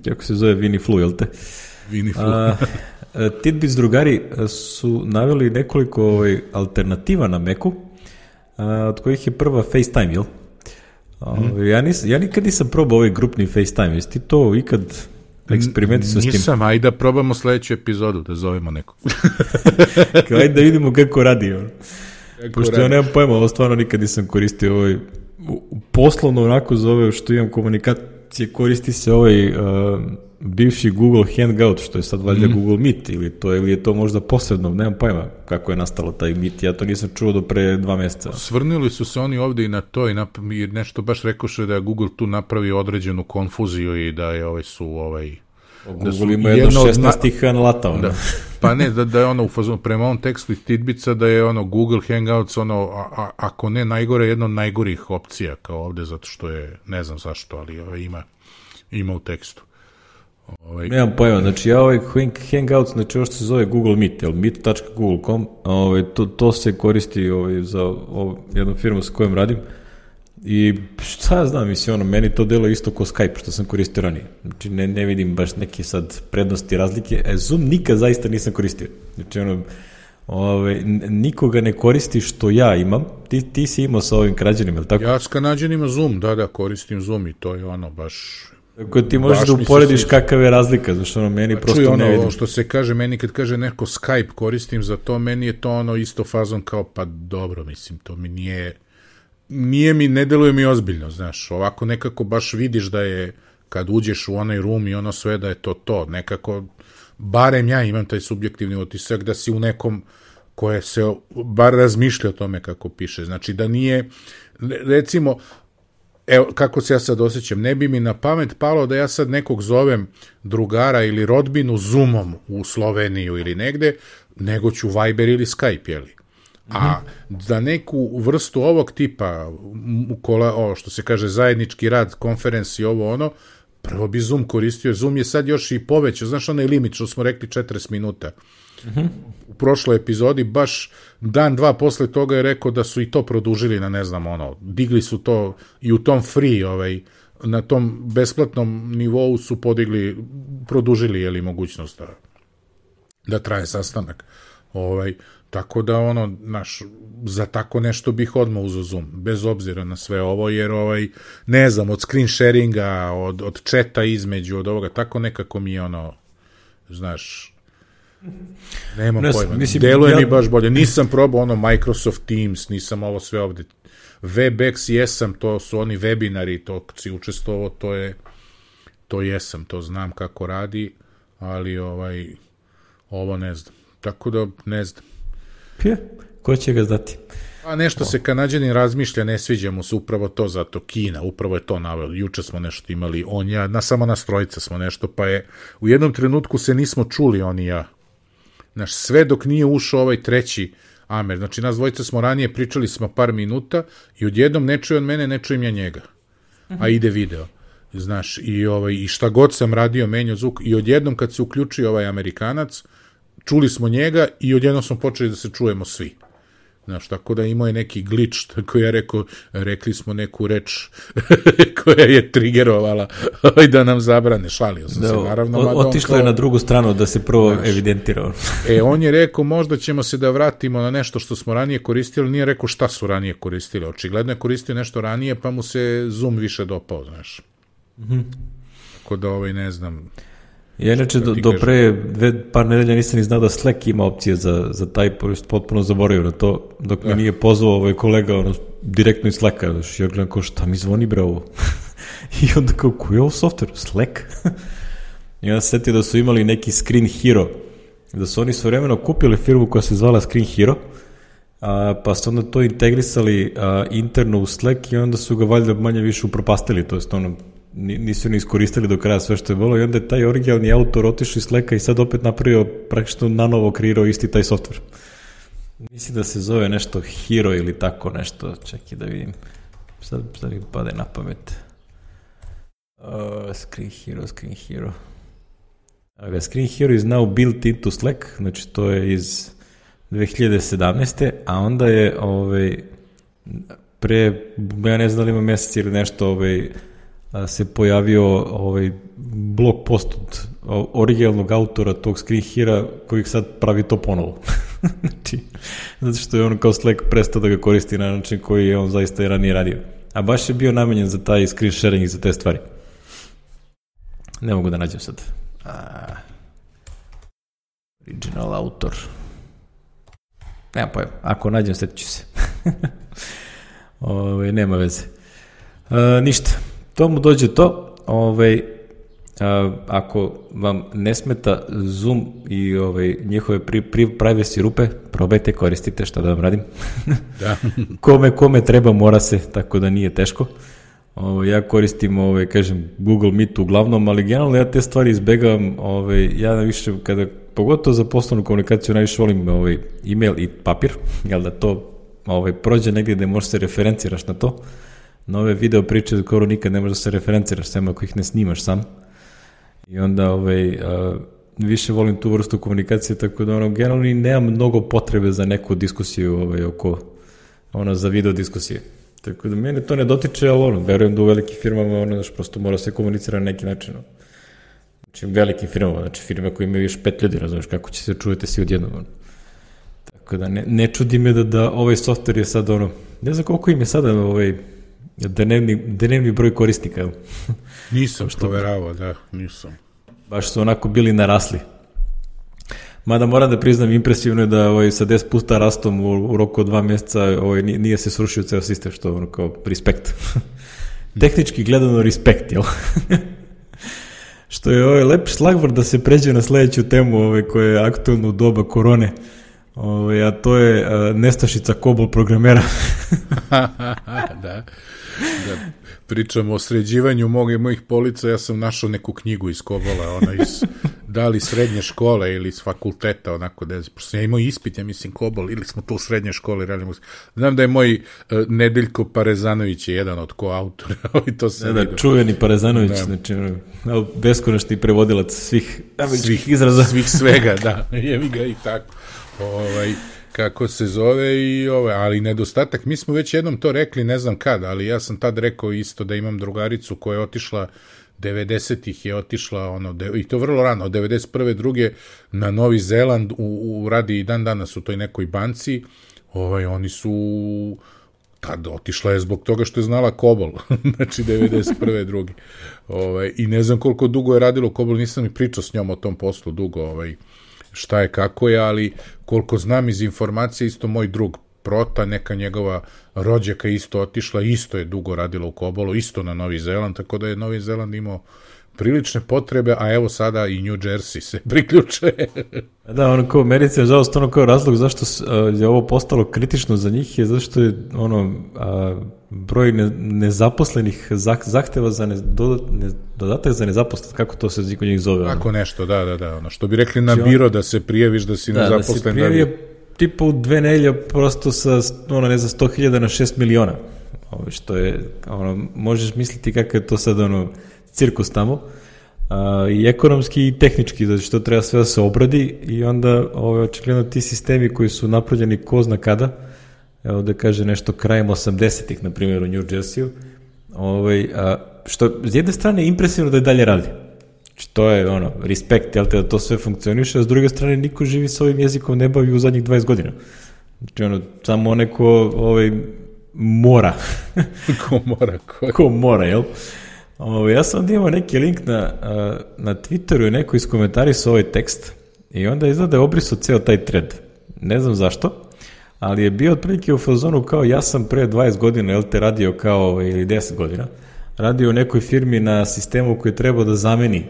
kako se zove, Vini Flu, jel te? Vini Flu. Tidbits drugari su naveli nekoliko alternativa na Macu, od kojih je prva FaceTime, jel? Ja nikad nisam probao grupni FaceTime, jesi ti to ikad eksperimentisao s tim? Nisam, ajde da probamo sledeću epizodu, da zovemo nekog. Ajde da vidimo kako radi. Pošto ja nemam pojma, ovo stvarno nikad nisam koristio poslovno onako zove što imam komunikacije, koristi se bivši Google Hangout, što je sad valjda Google Meet, ili je to možda posebno, nemam pojma kako je nastalo taj Meet, ja to nisam čuo do pre 2 meseca. Svrnili su se oni ovde i na to i nešto baš rekoše da je Google tu napravio određenu konfuziju i da je Google ima jedno 16 tih analata. Pa ne, da je u fazonu, prema ovom tekstu Tidbitsa, da je Google Hangouts ako ne najgore, jedno od najgorih opcija kao ovde, zato što je, ne znam zašto, ali ima u tekstu. Nemam pojma, znači ja Hangouts, znači ovo što se zove Google Meet, meet.google.com, to se koristi za jednu firmu sa kojom radim. I šta ja znam, mislim, meni to delo isto ko Skype, što sam koristio ranije. Znači, ne vidim baš neke sad prednosti, razlike. Zoom nikad zaista nisam koristio. Znači, nikoga ne koristi što ja imam. Ti si imao sa ovim krađanima, ili tako? Ja s Kanađanima Zoom, da, koristim Zoom i to je baš... Tako ti možeš da uporediš kakav je razlika, znači meni prosto ne vidim. Što se kaže, meni kad kaže neko Skype koristim za to, meni je to isto fazon kao, pa dobro, mislim, to mi ne deluje mi ozbiljno, znaš, ovako nekako baš vidiš da je, kad uđeš u onaj room i sve da je to, nekako, barem ja imam taj subjektivni utisak da si u nekom koje se bar razmišlja o tome kako piše, znači da nije, recimo, evo, kako se ja sad osjećam, ne bi mi na pamet palo da ja sad nekog zovem drugara ili rodbinu Zoomom u Sloveniju ili negde, nego ću Viber ili Skype, jeli? A za neku vrstu ovog tipa, što se kaže zajednički rad, konferenci, prvo bi Zoom koristio. Zoom je sad još i povećao, znaš onaj limit što smo rekli 40 minuta. U prošloj epizodi, baš dan, dva posle toga je rekao da su i to produžili na, ne znam, digli su to i u tom free, na tom besplatnom nivou su produžili, mogućnost da traje sastanak. Tako da, za tako nešto bih odmah uzeo Zoom, bez obzira na sve ovo, jer, ne znam, od screen sharinga, od chata između, od ovoga, tako nekako mi je, znaš, nemam pojma, deluje mi baš bolje. Nisam probao Microsoft Teams, nisam ovo sve ovde, WebEx jesam, to su oni webinari, to si učestvovao, to jesam, to znam kako radi, ali ovo ne znam. Tako da ne znam. Ko će ga znati? A nešto se Kanađanin razmišlja, ne sviđa mu se upravo to, zato Kina, upravo je to naveo. Juče smo nešto imali, on ja, samo nas trojica smo nešto, pa je u jednom trenutku se nismo čuli on i ja. Znaš, sve dok nije ušao ovaj treći Amer. Znači, nas dvojica smo ranije pričali smo par minuta i odjednom ne čuje on mene, ne čujem ja njega. A ide video. Znaš, i šta god sam radio, menjao zvuk, i odjednom kad se uključio ovaj Amerikanac, čuli smo njega i odjednom smo počeli da se čujemo svi. Znaš, tako da imao je neki glitch, tako ja rekli smo neku reč koja je trigerovala da nam zabrane. Šalio sam se, naravno. Otišlo je na drugu stranu da se prvo evidentirao. On je rekao, možda ćemo se da vratimo na nešto što smo ranije koristili, nije rekao šta su ranije koristili. Očigledno je koristio nešto ranije, pa mu se Zoom više dopao, znaš. Tako da, ne znam... Ja inače do pre par nedelja nisam ni znao da Slack ima opcije za taj, potpuno zaboravio na to, dok me nije pozvao kolega direktno iz Slacka, ja gledam kao šta mi zvoni bre ovo, i onda kao koji je ovo software, Slack? I onda se setio da su imali neki Screen Hero, da su oni svojevremeno kupili firmu koja se zvala Screen Hero, pa su onda to integrisali interno u Slack i onda su ga valjda manje više upropastili, to jest nisu ni iskoristili do kraja sve što je bilo i onda je taj originalni autor otišao iz Slacka i sad opet napravio praktično nanovo kreirao isti taj software. Mislim da se zove nešto Hero ili tako nešto, čekaj da vidim. Sad mi pade na pamet. Screen Hero. Screen Hero is now built into Slack, znači to je iz 2017. A onda je pre, ja ne znam da li ima mjesec ili nešto, se pojavio blog post od originalnog autora tog Screen Hero koji sad pravi to ponovo. Znači, zato što je on kao Slack prestao da ga koristi na način koji je on zaista i ranije radio. A baš je bio namenjen za taj screen sharing i za te stvari. Ne mogu da nađem sad. Original autor. Nema pojma. Ako nađem, sjetit ću se. Nema veze. Ništa. To mu dođe to, ako vam ne smeta Zoom i njihove privacy rupe, probajte, koristite, šta da vam radim. Da. Kome treba, mora se, tako da nije teško. Ja koristim, kažem, Google Meet uglavnom, ali generalno ja te stvari izbegavam, ja više, pogotovo za poslovnu komunikaciju, najviše volim email i papir, jel da to prođe negdje gde možeš se referenciraš na to. Na ove video priče skoro nikad ne možeš da se referenciraš sem ako ih ne snimaš sam. I onda više volim tu vrstu komunikacije, tako da generalno nemam mnogo potrebe za neku diskusiju oko za video diskusije. Tako da mene to ne dotiče, ali verujem da u velikim firmama prosto mora se komunicirati na neki način. Znači velikim firmama, znači firme koje imaju još 5 ljudi, razumiješ kako će se čujete svi odjednom. Tako da ne čudi me da ovaj software je sad ne znam koliko im je sada dnevni broj korisnika. Nisam proveravao, da, nisam. Baš su onako bili narasli. Mada moram da priznam, impresivno je da sa 10 puta rastom u roku od 2 mjeseca nije se srušio ceo sistem, što kao respekt. Tehnički gledano respekt, jel? Što je lep šlagvor da se pređe na sledeću temu koja je aktualna u doba korone, a to je nestašica COBOL programera. Da. Pričamo o sređivanju mojih polica, ja sam našao neku knjigu iz COBOL-a, da li srednje škole ili iz fakulteta, onako, prosto ja imao ispit, ja mislim COBOL, ili smo to u srednje škole radili. Znam da je moj Nedeljko Parezanović je jedan od koautora, to se vidio. Čuveni Parezanović, znači, beskonačni prevodilac svih izraza. Svih svega, da, jevi ga i tako. Kako se zove ali nedostatak, mi smo već jednom to rekli, ne znam kad, ali ja sam tad rekao isto da imam drugaricu koja je otišla 90-ih je otišla, i to vrlo rano, od 91. druge na Novi Zeland, radi i dan danas u toj nekoj banci, oni su tad otišla je zbog toga što je znala COBOL, znači 91. druge. I ne znam koliko dugo je radilo COBOL, nisam ni pričao s njom o tom poslu dugo, šta je, kako je, ali koliko znam iz informacije, isto moj drug Prota, neka njegova rođaka isto otišla, isto je dugo radila u COBOL-u, isto na Novi Zeland, tako da je Novi Zeland imao prilične potrebe, a evo sada i New Jersey se priključe. Da, ono kao Americi, nažalost, ono kao razlog zašto je ovo postalo kritično za njih je zašto je broj nezaposlenih zahteva za dodatak za nezaposlenost, kako to se kod njih zove? Tako nešto, da, ono što bi rekli na biro da se prijaviš da si nezaposlen. Da se prijavio tipa u 2 nedelje prosto sa, 100.000 na 6 miliona. Što je, možeš misliti kakav je to sad, cirkus tamo. I ekonomski i tehnički, zato što treba sve da se obradi i onda očigledno ti sistemi koji su napravljeni ko zna kada, evo da kaže nešto krajem 80-ih, na primjer u New Jersey-u, što s jedne strane je impresivno da je dalje radi. Znači to je respekt, jel te, da to sve funkcioniše, a s druge strane niko živi s ovim jezikom ne bavi u zadnjih 20 godina. Znači samo neko mora. Ko mora, jel? Ja sam onda imao neki link na Twitteru i neko iskomentarisa ovaj tekst i onda izgleda je obrisao ceo taj thread. Ne znam zašto, ali je bio otprilike u fazonu kao ja sam pre 20 godina, jel te, radio kao, ili 10 godina, radio u nekoj firmi na sistemu koji treba da zameni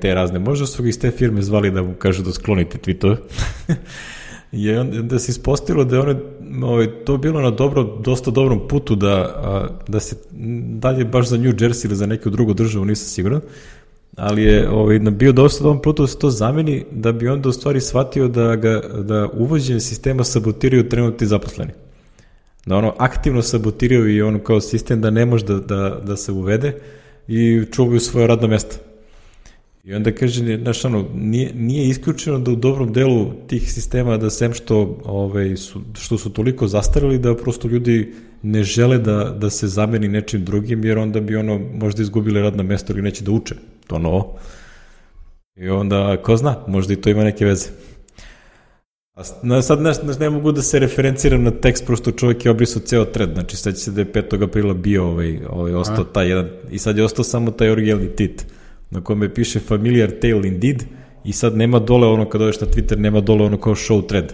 te razne. Možda su ga iz te firme zvali da mu kažu da sklonite tweetove. I onda se ispostavilo da je to bilo na dosta dobrom putu da se dalje baš za New Jersey ili za neku drugu državu, nisam siguran, ali je bio dosta dobrom putu da se to zameni, da bi onda u stvari shvatio da uvođenje sistema sabotiraju trenutni zaposleni. Da aktivno sabotiraju i kao sistem da ne može da se uvede i čuvaju svoje radno mesto. I onda kaže, nije isključeno da u dobrom delu tih sistema da sem što su toliko zastarili da prosto ljudi ne žele da se zameni nečim drugim, jer onda bi možda izgubili radno mesto ili neće da uče to novo. I onda, ko zna, možda i to ima neke veze. Sad ne mogu da se referenciram na tekst, prosto čovjek je obrisao ceo thread, znači sad će se da je 5. aprila bio ostao taj jedan, i sad je ostao samo taj originalni tit na kome piše familiar tale indeed i sad nema dole kad odeš na Twitter, nema dole kao show thread.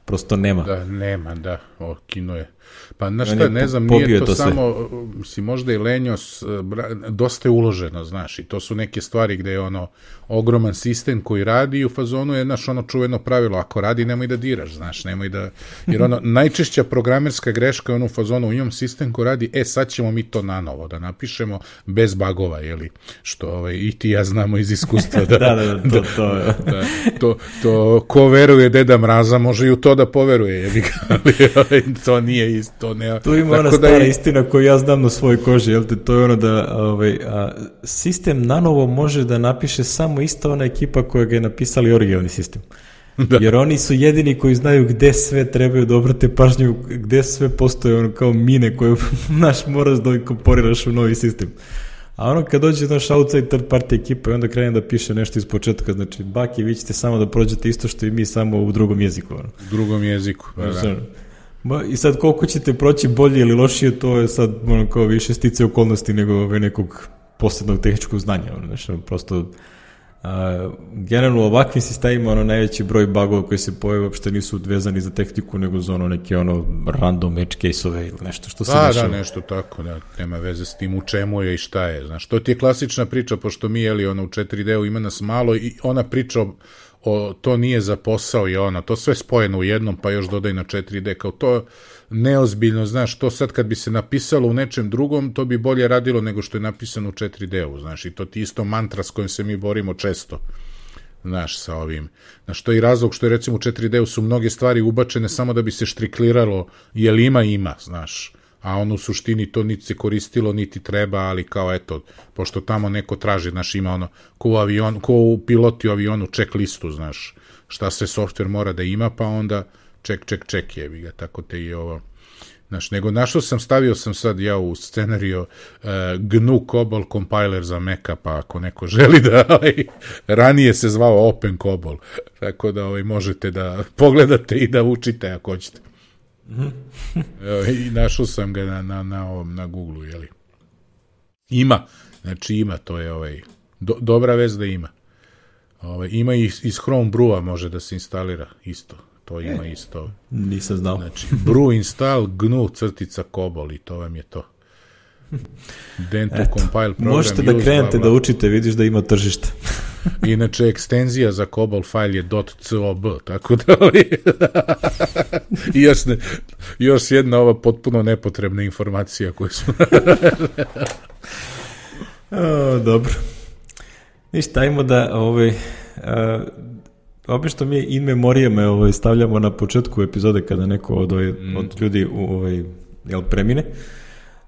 Prosto nema. Da, nema, da, kino je. Pa znaš šta, ne znam, nije to samo, si možda i lenjos, dosta je uloženo, znaš, i to su neke stvari gde je ogroman sistem koji radi i u fazonu je, znaš, čuveno pravilo, ako radi, nemoj da diraš, znaš, nemoj da, jer najčešća programerska greška je u fazonu, imam sistem koji radi, sad ćemo mi to nanovo da napišemo bez bagova, jeli, što i ti ja znamo iz iskustva, to ko veruje Deda Mraza, može i u to da poveruje, jebi ga, ali to nije isto. Tu ima ona stara istina koju ja znam na svojoj koži, jel te, to je da sistem nanovo može da napiše samo ista ona ekipa koja ga je napisali originalni sistem. Da. Jer oni su jedini koji znaju gde sve trebaju da obrate pažnju, gde sve postoje kao mine koje moraš da inkorporiraš u novi sistem. A kad dođe naš outside third party ekipa i onda krene da piše nešto iz početka, znači baki, vi ćete samo da prođete isto što i mi, samo u drugom jeziku. U drugom jeziku, da. I sad koliko ćete proći bolje ili lošije, to je sad kao više stice okolnosti nego nekog posebnog tehničkog znanja. Prosto generalno u ovakvim sistemima najveći broj bugova koji se pojave uopšte nisu vezani za tehniku, nego za neke random edge case-ove ili nešto što se dešava. Da, nešto tako, da, nema veze s tim u čemu je i šta je. Znaš, to ti je klasična priča, pošto mi, u 4D-u ima nas malo i ona priča to nije za posao i to sve spojeno u jednom, pa još dodaj na 4D, kao to neozbiljno, znaš, to sad kad bi se napisalo u nečem drugom, to bi bolje radilo nego što je napisano u 4D-u, znaš, i to ti isto mantra s kojim se mi borimo često, znaš, sa ovim. Znaš, to je i razlog što je, recimo, u 4D-u su mnoge stvari ubačene samo da bi se štrikliralo, jel ima, znaš, a u suštini to niti se koristilo, niti treba, ali kao pošto tamo neko traži, znaš, ima ko u piloti u avionu check listu, znaš, šta sve softver mora da ima, pa onda check jebi ga, tako te i ovo. Znaš, nego stavio sam sad ja u scenariju GNU COBOL compiler za Maca, pa ako neko želi da, ranije se zvao Open COBOL, tako da možete da pogledate i da učite ako hoćete. I našao sam ga na Google-u, jeli. Ima, to je dobra vez da ima. Ima i iz Chrome Brew-a može da se instalira isto, to ima isto. Nisam znao. Znači, brew install GNU _COBOL i to vam je to. Dento compile program. Možete da krenete da učite, vidiš da ima tržište. Inače, ekstenzija za COBOL file je .cob, tako da i još jedna ova potpuno nepotrebna informacija koju smo... Dobro. Ništa, ajmo da obično mi in memorijame stavljamo na početku epizode kada neko od ljudi premine.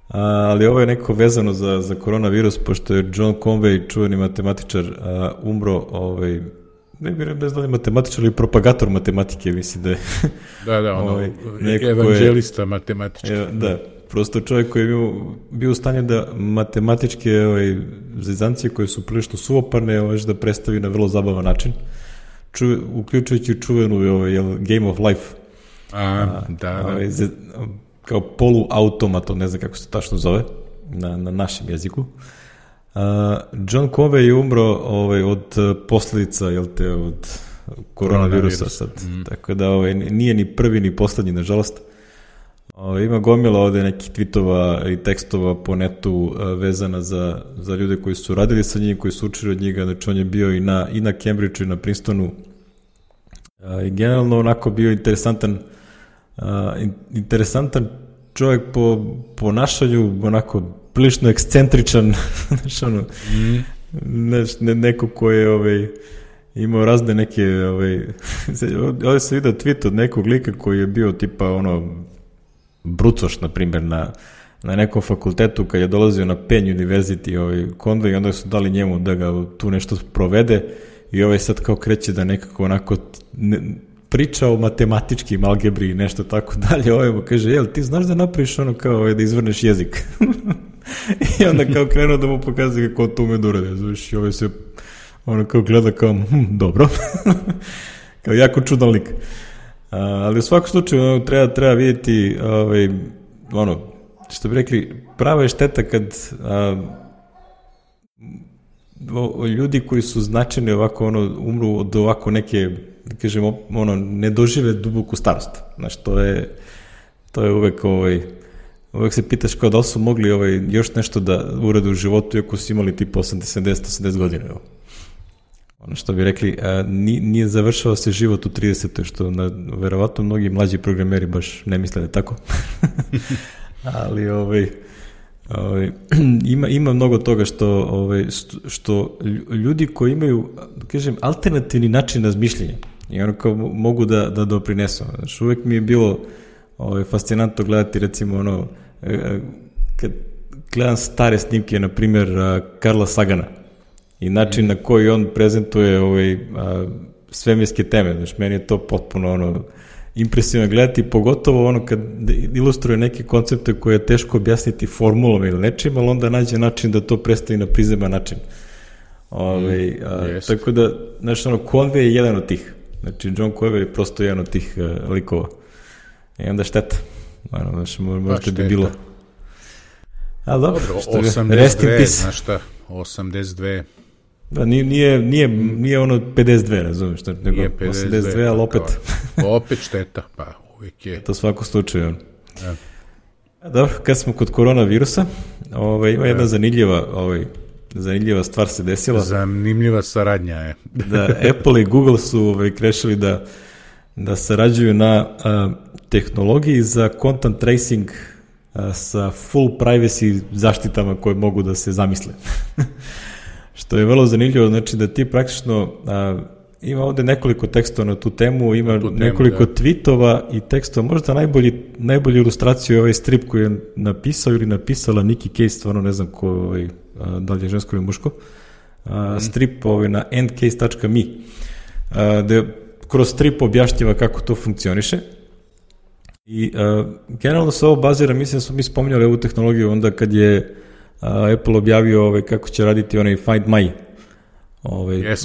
Ali ovo je neko vezano za koronavirus, pošto je John Conway, čuveni matematičar, umro, ne bih bez da je matematičar ili propagator matematike, mislim da je. Evanđelista matematičar. Da, prosto čovjek koji je bio u stanju da matematičke zezancije koje su prilično suvoparne, da predstavi na vrlo zabavan način, uključujući čuvenu Game of Life. Kao poluautomat, ne znam kako se tačno zove na našem jeziku. John Conway je umro od posljedica od koronavirusa sad. Tako da nije ni prvi ni poslednji, nažalost. Ima gomila ovde nekih tweetova i tekstova po netu vezana za ljude koji su radili sa njim, koji su učili od njega. Znači on je bio i na Cambridgeu i na Princetonu. I generalno onako bio interesantan čovjek po ponašanju, onako prilično ekscentričan, neko ko je imao razne neke, ovdje se vidio tweet od nekog lika koji je bio tipa brucoš, na primjer, na nekom fakultetu kad je dolazio na Penn University Conway, i onda su dali njemu da ga tu nešto provede i sad kao kreće da nekako onako priča o matematičkim algebri i nešto tako dalje, mu kaže, jel ti znaš da napraviš kao da izvrneš jezik? I onda kao krenuo da mu pokazuje kako to ume da urade, znaš, i se kao gleda kao, dobro, kao jako čudan lik. Ali u svakom slučaju treba vidjeti, što bi rekli, prava je šteta kad ljudi koji su značajni ovako umru od ovako neke, da kažemo, ne dožive duboku starost. Znaš, to je uvek uvek se pitaš kao da li su mogli još nešto da urade u životu iako su imali tipa 80 godina. Ono što bi rekli, nije završao se život u 30. što verovatno mnogi mlađi programeri baš ne misle da je tako. Ali ima mnogo toga što ljudi koji imaju, da kažem, alternativni način razmišljanja i kao mogu da doprinesu. Znači, uvek mi je bilo fascinantno gledati, recimo, kad gledam stare snimke, na primjer, Carla Sagana i način na koji on prezentuje svemirske teme. Znači, meni je to potpuno impresivno gledati, pogotovo kad ilustruje neke koncepte koje je teško objasniti formulom ili nečim, ali onda nađe način da to predstavi na prizeman način. Tako da, znači, Conway je jedan od tih. Znači, John Conway je prosto jedan od tih likova. I onda šteta. Znači, možda bi bilo. Ali dobro, 82, znaš šta, 82. Da, nije 52, razumiješ, nego 82, ali opet... Opet šteta, pa uvijek je. To svako slučaju. Dobro, kad smo kod koronavirusa, ima jedna zanimljiva stvar se desila. Zanimljiva saradnja je. Da, Apple i Google su krešili da sarađuju na tehnologiji za content tracing sa full privacy zaštitama koje mogu da se zamisle. Što je vrlo zanimljivo, znači da ti praktično, ima ovde nekoliko tekstova na tu temu, ima nekoliko tweetova i tekstova, možda najbolju ilustraciju je ovaj strip koji je napisao ili napisala Nikki Case, stvarno ne znam ko, da li je žensko ili muško, strip na endcase.me, gde kroz strip objašnjava kako to funkcioniše. I generalno se ovo bazira, mislim da smo mi spominjali ovu tehnologiju onda kad je Apple objavio kako će raditi onaj Find My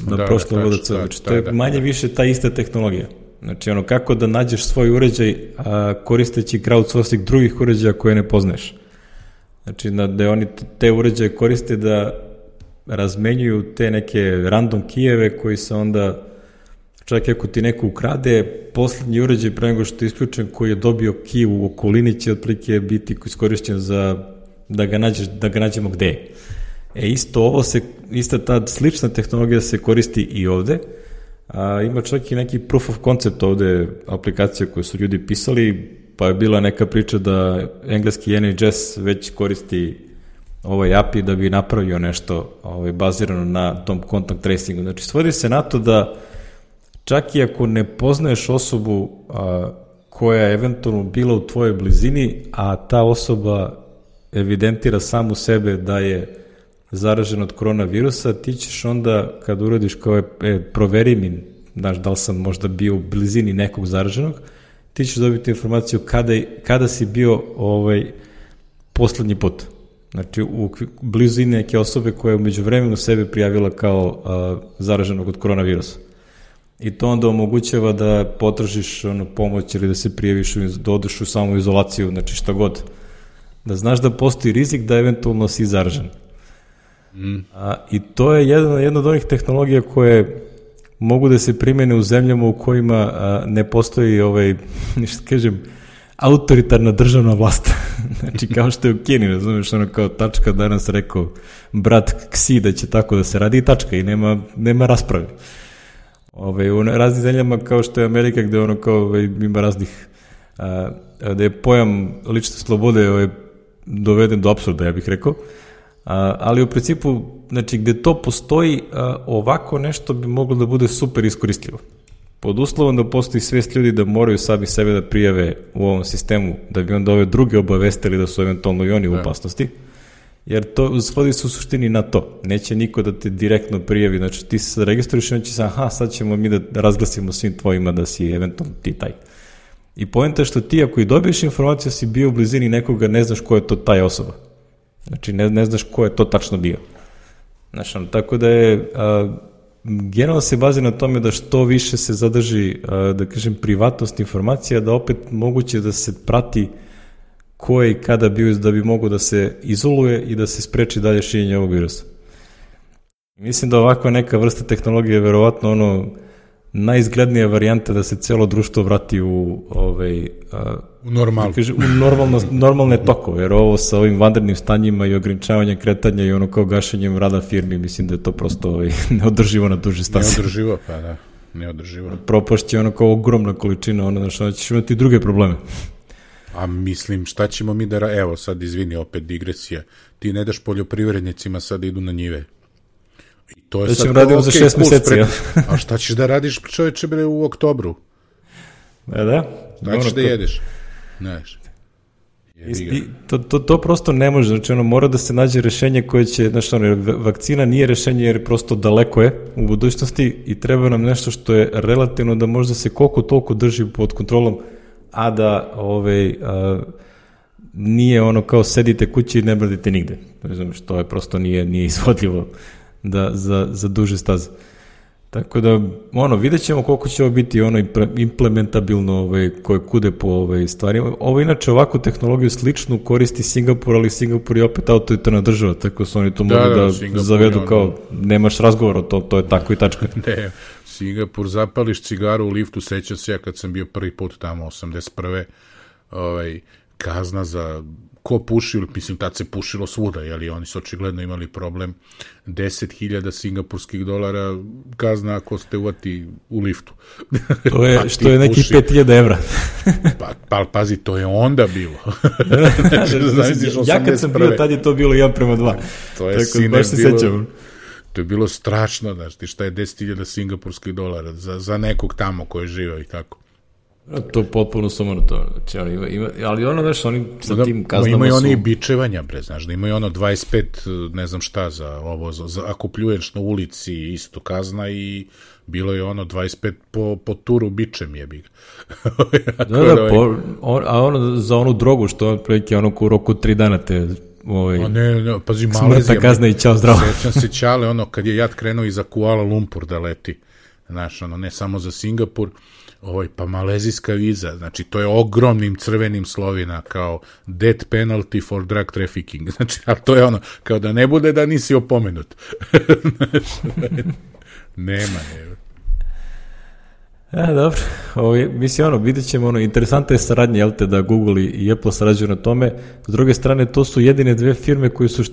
na prošlom VDC. Znači, to je manje više ta ista tehnologija. Znači, kako da nađeš svoj uređaj koristeći crowdsourcing drugih uređaja koje ne poznaješ. Znači, da oni te uređaje koriste da razmenjuju te neke random kijeve koji se onda, čak ako ti neko ukrade, poslednji uređaj pre nego što je isključen koji je dobio kij u okolini će otprilike biti iskorišćen za da ga nađemo gde je. Ista ta slična tehnologija se koristi i ovde. Ima čak i neki proof of concept ovde aplikacije koje su ljudi pisali, pa je bila neka priča da engleski NHS već koristi ovaj API da bi napravio nešto bazirano na tom contact tracingu. Znači, svodi se na to da čak i ako ne poznaješ osobu koja je eventualno bila u tvojoj blizini, a ta osoba evidentira samu sebe da je zaražen od koronavirusa, ti ćeš onda, kad uradiš kao proveri mi, znaš, da li sam možda bio u blizini nekog zaraženog, ti ćeš dobiti informaciju kada si bio poslednji put. Znači, u blizini neke osobe koja je umeđu vremenu sebe prijavila kao zaraženog od koronavirusa. I to onda omogućava da potražiš pomoć ili da se prijaviš, da odeš u samoizolaciju, znači šta god. Da znaš da postoji rizik da eventualno si zaražen. I to je jedna od onih tehnologija koje mogu da se primene u zemljama u kojima ne postoji što kažem, autoritarna državna vlast. Znači, kao što je u Kini, razumiješ, kao tačka, danas rekao brat Ksi da će tako da se radi i tačka, i nema rasprave. U raznim zemljama kao što je Amerika, gde ima raznih, da je pojam lične slobode doveden do apsurda, ja bih rekao, ali u principu, znači, gde to postoji, ovako nešto bi moglo da bude super iskoristivo. Pod uslovom da postoji svest ljudi da moraju sami sebe da prijave u ovom sistemu, da bi onda ove druge obavestili da su eventualno i oni u opasnosti, jer to svodi se u suštini na to. Neće niko da te direktno prijavi, znači ti se registruješ i on će se, sad ćemo mi da razglasimo svim tvojima da si eventualno ti taj. I poenta je što ti ako i dobiješ informaciju si bio u blizini nekoga, ne znaš ko je to taj osoba. Znači ne znaš ko je to tačno bio. Znači, tako da je generalno se bazi na tome da što više se zadrži, da kažem, privatnost informacija, da opet moguće da se prati ko je i kada bio, da bi mogo da se izoluje i da se spreči dalje širenje ovog virusa. Mislim da ovakva neka vrsta tehnologije je verovatno najizglednija varijanta da se celo društvo vrati u normalne tokove, jer ovo sa ovim vanrednim stanjima i ograničavanjem kretanja i kao gašenjem rada firmi, mislim da je to prosto neodrživo na duže staze. Neodrživo, pa da, neodrživo. Propašće kao ogromna količina, što ćeš imati druge probleme. A mislim, šta ćemo mi evo sad, izvini, opet digresija, ti ne daš poljoprivrednicima sad idu na njive. I to je da sad ćemo radimo za 6 meseci. A šta ćeš da radiš, čoveče, u oktobru? Da. Šta ćeš da jedeš? Znaš. To prosto ne može, znači mora da se nađe rešenje koje će, znači vakcina nije rešenje jer prosto daleko je u budućnosti i treba nam nešto što je relativno da možda se koliko toliko drži pod kontrolom, a da nije kao sedite kući i ne bradite nigde. Znači, to je prosto nije izvodljivo za duže staze. Tako da, vidjet ćemo koliko će ovo biti implementabilno koje kude po stvarima. Ovo inače ovakvu tehnologiju sličnu koristi Singapur, ali Singapur je opet autoritarna država, tako su oni to mogu da zavedu kao nemaš razgovora, to je tako i tačka. Ne, Singapur, zapališ cigaru u liftu, sećam se ja kad sam bio prvi put tamo, 81. Kazna za ko puši, mislim, tad se pušilo svuda, jeli oni su očigledno imali problem, 10.000 singapurskih dolara kazna ako ste uvati u liftu. To je, što je neki 5.000 evra. Pa pazi, to je onda bilo. Ja kad sam bio, tad je to bilo 1:2. To je sine bilo, to je bilo strašno, znaš, ti šta je 10.000 singapurskih dolara za nekog tamo koji žive i tako. To je potpuno sumanuto. Ali znaš, oni sa tim kaznama imaju oni i bičevanja, znaš, da imaju 25, ne znam šta, za ovo, ako pljuješ na ulici, isto kazna i bilo je 25 po turu bičem jebi ga. A za onu drogu, što je prilike u roku 3 dana te ne, pazi, smrtna kazna i čao zdravo. Sećam se Ćale, kad je jat krenuo i za Kuala Lumpur da leti, znaš, ne samo za Singapur, pa malezijska viza, znači to je ogromnim crvenim slovima kao death penalty for drug trafficking, znači, a to je kao da ne bude da nisi opomenut. Nema. Dobro. Mislim, vidjet ćemo, interesantna je saradnja, jel te, da Google i Apple sarađuju na tome. S druge strane, to su jedine dve firme koje su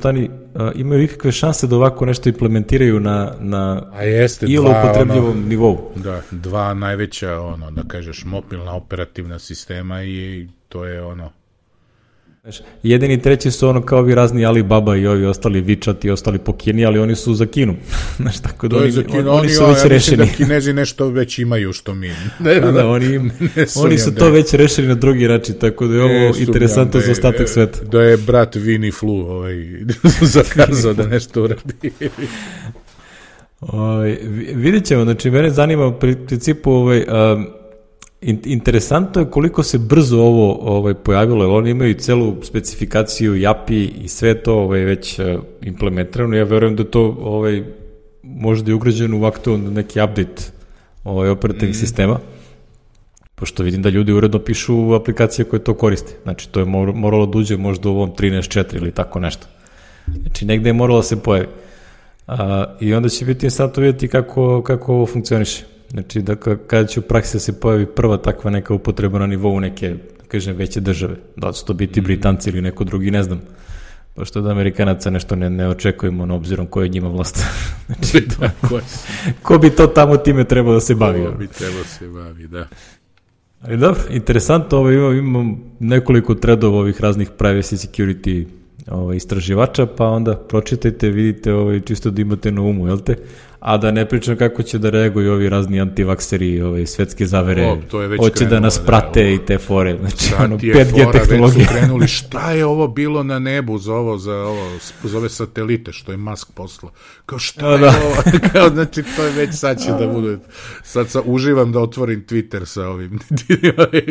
imaju ikakve šanse da ovako nešto implementiraju na upotrebljivom nivou. Da, dva najveća, da kažeš, mobilna operativna sistema i to je Jedini treći su kao ovi razni Alibaba i ovi ostali WeChat i ostali po Kini, ali oni su za Kinu. Tako da oni su već rešeni. Da Kinezi nešto već imaju što mi. Oni su to već rešili na drugi način, tako da je ovo interesantno za ostatak sveta. Da je brat Winnie Flu zakazao da nešto uradi. Vidjet ćemo, znači mene zanima u principu interesantno je koliko se brzo ovo pojavilo, jer oni imaju celu specifikaciju i API i sve to već implementirano. Ja verujem da to možda je ugrađeno u aktualno neki update operativnih sistema, pošto vidim da ljudi uredno pišu aplikacije koje to koriste. Znači to je moralo da uđe možda u ovom 13.4 ili tako nešto. Znači negde je moralo da se pojavi. I onda će biti sad vidjeti kako ovo funkcioniše. Znači, kada će u praksi da se pojavi prva takva neka upotreba na nivou neke, kažem, veće države, da će to biti Britanci ili neko drugi, ne znam, pošto od Amerikanaca nešto ne očekujemo na obzirom ko je njima vlast. Znači, ko bi to tamo time trebao da se bavi? Ko bi trebao da se bavi, da. Ali dobro, interesantno, imam nekoliko threadova ovih raznih privacy security istraživača, pa onda pročitajte, vidite, čisto da imate na umu, jel te? A da ne pričam kako će da reaguju ovi razni antivakseri, svetske zavere, hoće da nas prate i te fore, znači 5G tehnologije. Već su krenuli, šta je ovo bilo na nebu za ove satelite što je Musk poslao, kao šta je ovo, znači to je već sad će da bude, sad uživam da otvorim Twitter sa ovim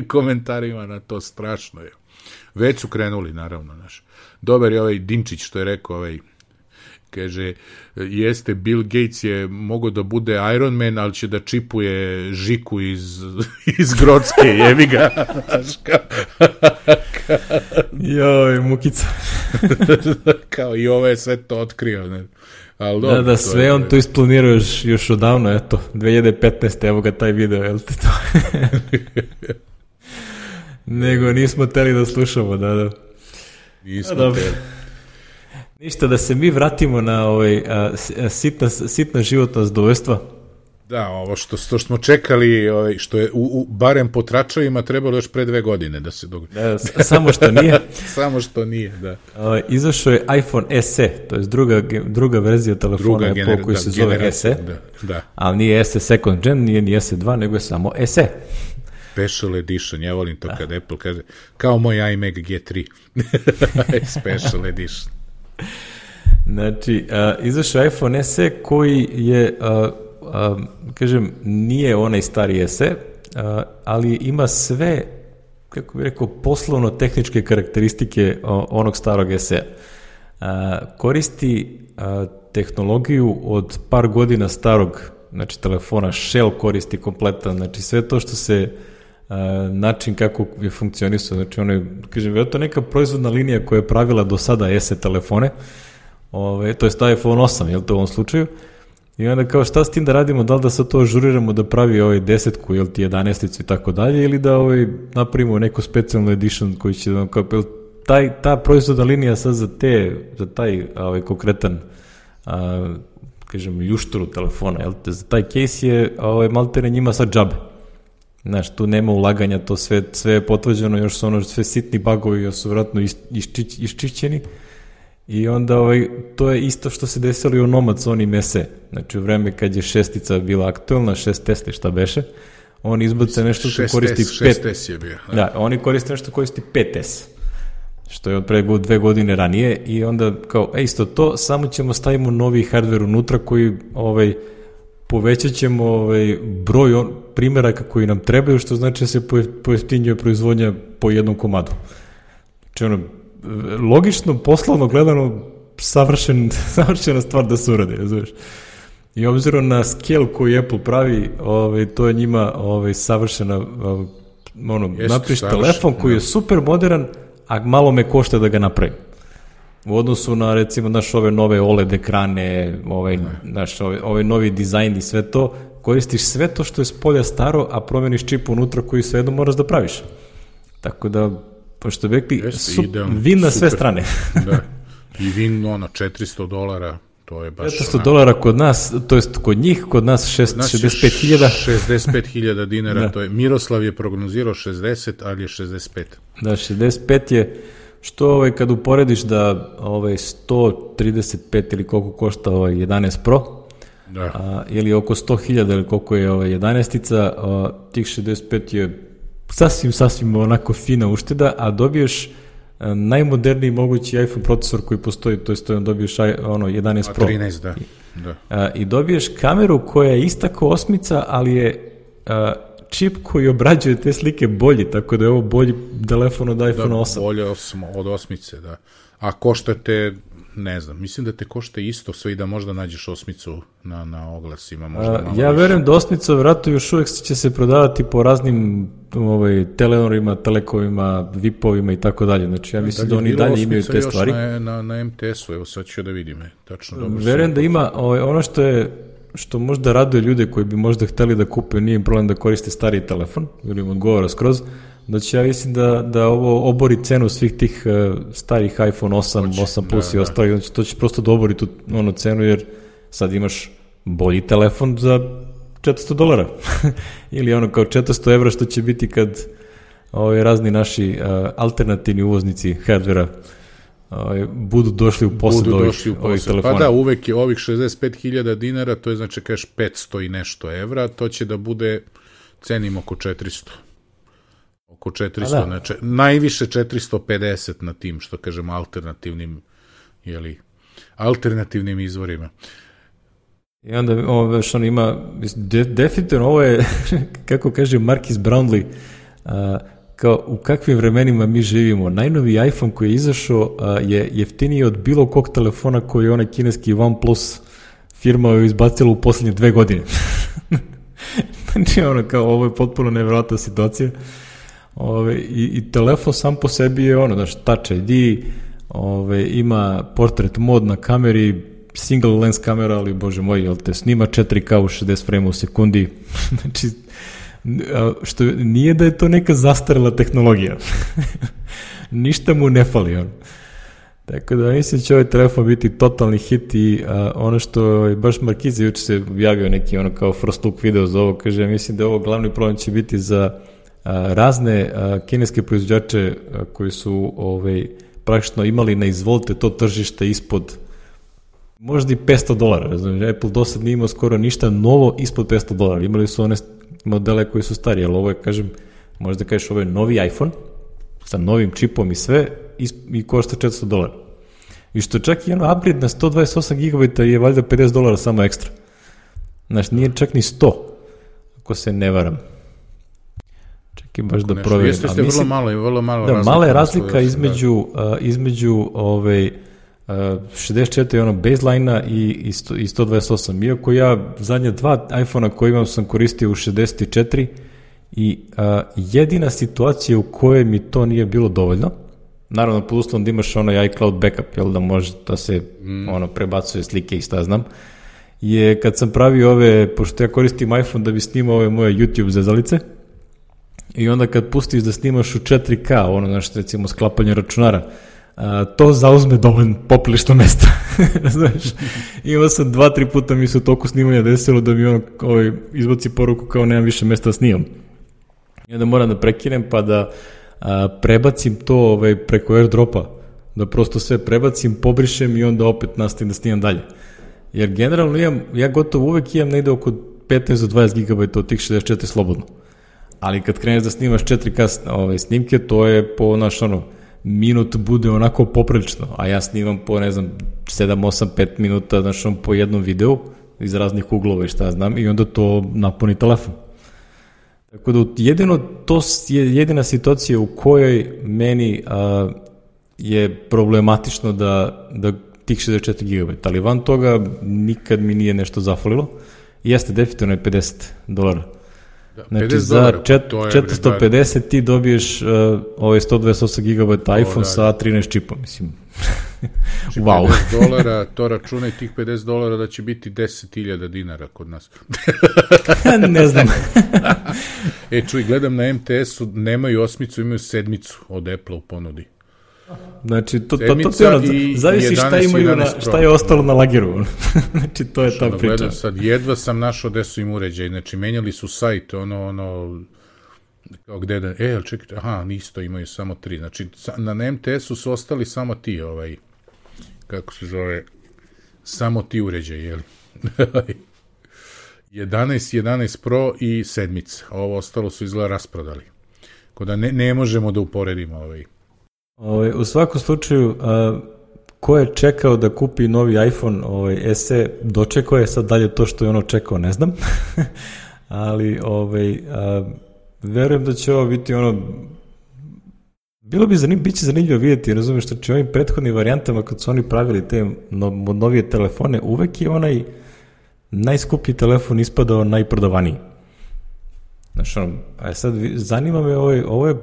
komentarima na to, strašno je. Već su krenuli, naravno, dobar je ovaj Dinčić što je rekao, kaže, jeste, Bill Gates je mogao da bude Iron Man, ali će da čipuje Žiku iz Grocke, jevi ga. Joj, mukica. Kao i ovo je sve to otkrio. Da, sve on to isplanirao još odavno, eto, 2015. Evo ga taj video, jel te to? Nego nismo teli da slušamo, da. Nismo teli. Ništa, da se mi vratimo na sitna životna zadovoljstva. Da, ovo što smo čekali, što je barem po tračevima trebalo još pre 2 godine da se dogodi. Samo što nije. Samo što nije, da. Izašao je iPhone SE, to je druga verzija telefona Apple koji se zove SE, ali nije SE second gen, nije ni SE2, nego je samo SE. Special edition, ja volim to kad Apple kaže, kao moj iMac G3. Special edition. Znači, izašao iPhone SE koji je, kažem, nije onaj stari SE, ali ima sve, kako bih rekao, poslovno-tehničke karakteristike onog starog SE. Koristi tehnologiju od par godina starog, znači telefona, Shell koristi kompletan, znači sve to što se način kako je funkcionisao, znači ono je, kažem, vjerojatno neka proizvodna linija koja je pravila do sada SE telefone, to je sta iPhone 8, jel to u ovom slučaju, i onda kao šta s tim da radimo, da li da sad to ažuriramo da pravi 10-ku, jel ti 11-icu i tako dalje, ili da napravimo neku specijalnu edition koji će da kao, ta proizvodna linija sad za taj konkretan kažem, ljušturu telefona, jel te, za taj case je maltene njima sad džabe. Znaš, tu nema ulaganja, to sve je potvrđeno, još su sve sitni bugovi, još su vratno iščićeni i onda to je isto što se desilo i u Nomad s onim SE. Znači, u vreme kad je 6-ica bila aktuelna, 6S šta beše, oni izbace nešto što koristi 6S je bio. Da, oni koriste nešto koristi 5S, što je od pre 2 godine ranije i onda kao, isto to, samo ćemo stavimo novi hardware unutra koji povećat ćemo broj primjeraka koji nam trebaju, što znači da se pojeftinjuje proizvodnja po jednom komadu. Znači, logično, poslovno gledano, savršena stvar da se uradi, razumiješ? I obzirom na scale koji Apple pravi, to je njima savršena, napriš telefon koji je super modern, a malo me košta da ga napravim. U odnosu na, recimo, ove nove OLED ekrane, ovaj novi dizajn i sve to, koristiš sve to što je s polja staro, a promeniš čip unutra koji svejedno moraš da praviš. Tako da, pošto bi rekli, vin na sve strane. Da. I vin, $400, to je baš... $400 kod nas, to jest kod njih, kod nas 65.000. 65.000 dinara, da. To je, Miroslav je prognozirao 60, ali je 65. Da, 65 je, što kad uporediš da 135 ili koliko košta 11 Pro, da. Ili oko 100.000 ili koliko je 11-ica, tih 65 je sasvim onako fina ušteda, a dobiješ najmoderniji mogući iPhone procesor koji postoji, to je dobiješ 11 Pro. 13, da. I dobiješ kameru koja je ista kao osmica, ali je čip koji obrađuje te slike bolji, tako da je ovo bolji telefon od iPhone 8. Da, bolje od osmice, da. A košta te, ne znam, mislim da te košta isto sve i da možda nađeš osmicu na oglasima. Ja verujem da osmica vjerojatno još uvijek će se prodavati po raznim Telenorima, Telekovima, VIP-ovima i tako dalje. Znači ja mislim da oni dalje imaju te stvari. Na MTS-u, evo sad ću da vidim. Tačno, verujem da ima ono što možda raduje ljude koji bi možda hteli da kupe, nije im problem da koriste stariji telefon, ili im odgovara skroz. Znači ja mislim da ovo obori cenu svih tih starih iPhone 8 Plus i ostali, znači to će prosto da obori tu cenu, jer sad imaš bolji telefon za $400 ili kao 400 evra što će biti kad razni naši alternativni uvoznici hardvera budu došli u posed ovih telefona. Pa da, uvek je ovih 65.000 dinara, to je znači kažeš 500 i nešto evra, to će da bude cenim oko 400. Oko 400, najviše 450 na tim, što kažemo, alternativnim izvorima. I onda što on ima, definitivno ovo je, kako kaže Marquis Brownlee, kao u kakvim vremenima mi živimo. Najnoviji iPhone koji je izašao je jeftiniji od bilo kog telefona koji je onaj kineski OnePlus firma je izbacila u posljednje 2 godine. Znači kao ovo je potpuno nevjerojatna situacija. I telefon sam po sebi je Touch ID, ima portrait mod na kameri, single lens kamera, ali bože moj, jel te snima 4K u 60 frame u sekundi. Znači, što nije da je to neka zastarela tehnologija. Ništa mu ne fali. Tako da mislim će ovaj telefon biti totalni hit i ono što je baš Markiza juče se objavio neki kao first look video za ovo, kaže, mislim da ovo glavni problem će biti za razne kineske proizvođače koji su praktično imali na izvolite to tržište ispod možda i $500, razumiješ, Apple do sad nije imao skoro ništa novo ispod $500, imali su one modele koji su stariji, ali ovo je, kažem, možda kažeš ovo je novi iPhone sa novim čipom i sve i košta $400. I što čak i upgrade na 128 GB je valjda $50 samo ekstra. Znači nije čak ni 100, ako se ne varam. Čekaj baš da provjerim. Jeste vrlo malo razlika. Mala je razlika između 64 baseline-a i 128. Iako ja zadnja 2 iPhone-a koje imam sam koristio u 64 i jedina situacija u kojoj mi to nije bilo dovoljno, naravno pod uslovom da imaš iCloud backup, jel da može da se prebacuje slike i šta znam, je kad sam pravio pošto ja koristim iPhone da bi snimao ove moje YouTube zezalice, i onda kad pustiš da snimaš u 4K, recimo sklapanje računara, to zauzme dovoljno poprilično mesta. Znaš, imao sam 2-3 puta mi se u toku snimanja desilo da mi izbaci poruku kao nemam više mesta da snimam. I onda moram da prekinem pa da prebacim to preko AirDropa, da prosto sve prebacim, pobrišem i onda opet nastavim da snimam dalje. Jer generalno ja gotovo uvek imam negde oko 15 do 20 GB od tih 64 slobodno. Ali kad kreneš da snimaš 4K snimke, to je po minut bude onako poprilično, a ja snimam po, 7, 8, 5 minuta, po jednom videu iz raznih uglova i šta znam, i onda to napuni telefon. Tako da to je jedina situacija u kojoj meni je problematično da tih 64 GB, ali van toga nikad mi nije nešto zafalilo. Jeste, definitivno je $50. Znači za 450 ti dobiješ 128 GB iPhone sa 13 čipom, mislim. Znači, wow. $50, to računaj tih $50 da će biti 10.000 dinara kod nas. Ne znam. Čuj, gledam na MTS-u, nemaju 8, imaju 7 od Apple u ponudi. Znači, to zavisi šta imaju šta je ostalo na lageru. Znači, to je ta priča. Gledam sad, jedva sam našao gde su im uređaj. Znači, menjali su sajt, kao gde da... ali čekajte, isto imaju samo 3. Znači, na MTS-u su ostali samo ti, kako se zove, samo ti uređaj, jel? 11 Pro i 7. Ovo ostalo su izgleda rasprodali. Kod da ne možemo da uporedimo U svakom slučaju, ko je čekao da kupi novi iPhone SE, dočekao je, sad dalje to što je ono čekao, ne znam. Ali, verujem da će ovo biti biće zanimljivo vidjeti, razumiješ, što će ovim prethodnim varijantama, kad su oni pravili te novije telefone, uvek je onaj najskuplji telefon ispadao najprodavaniji. Znaš, sad zanima me, ovo je,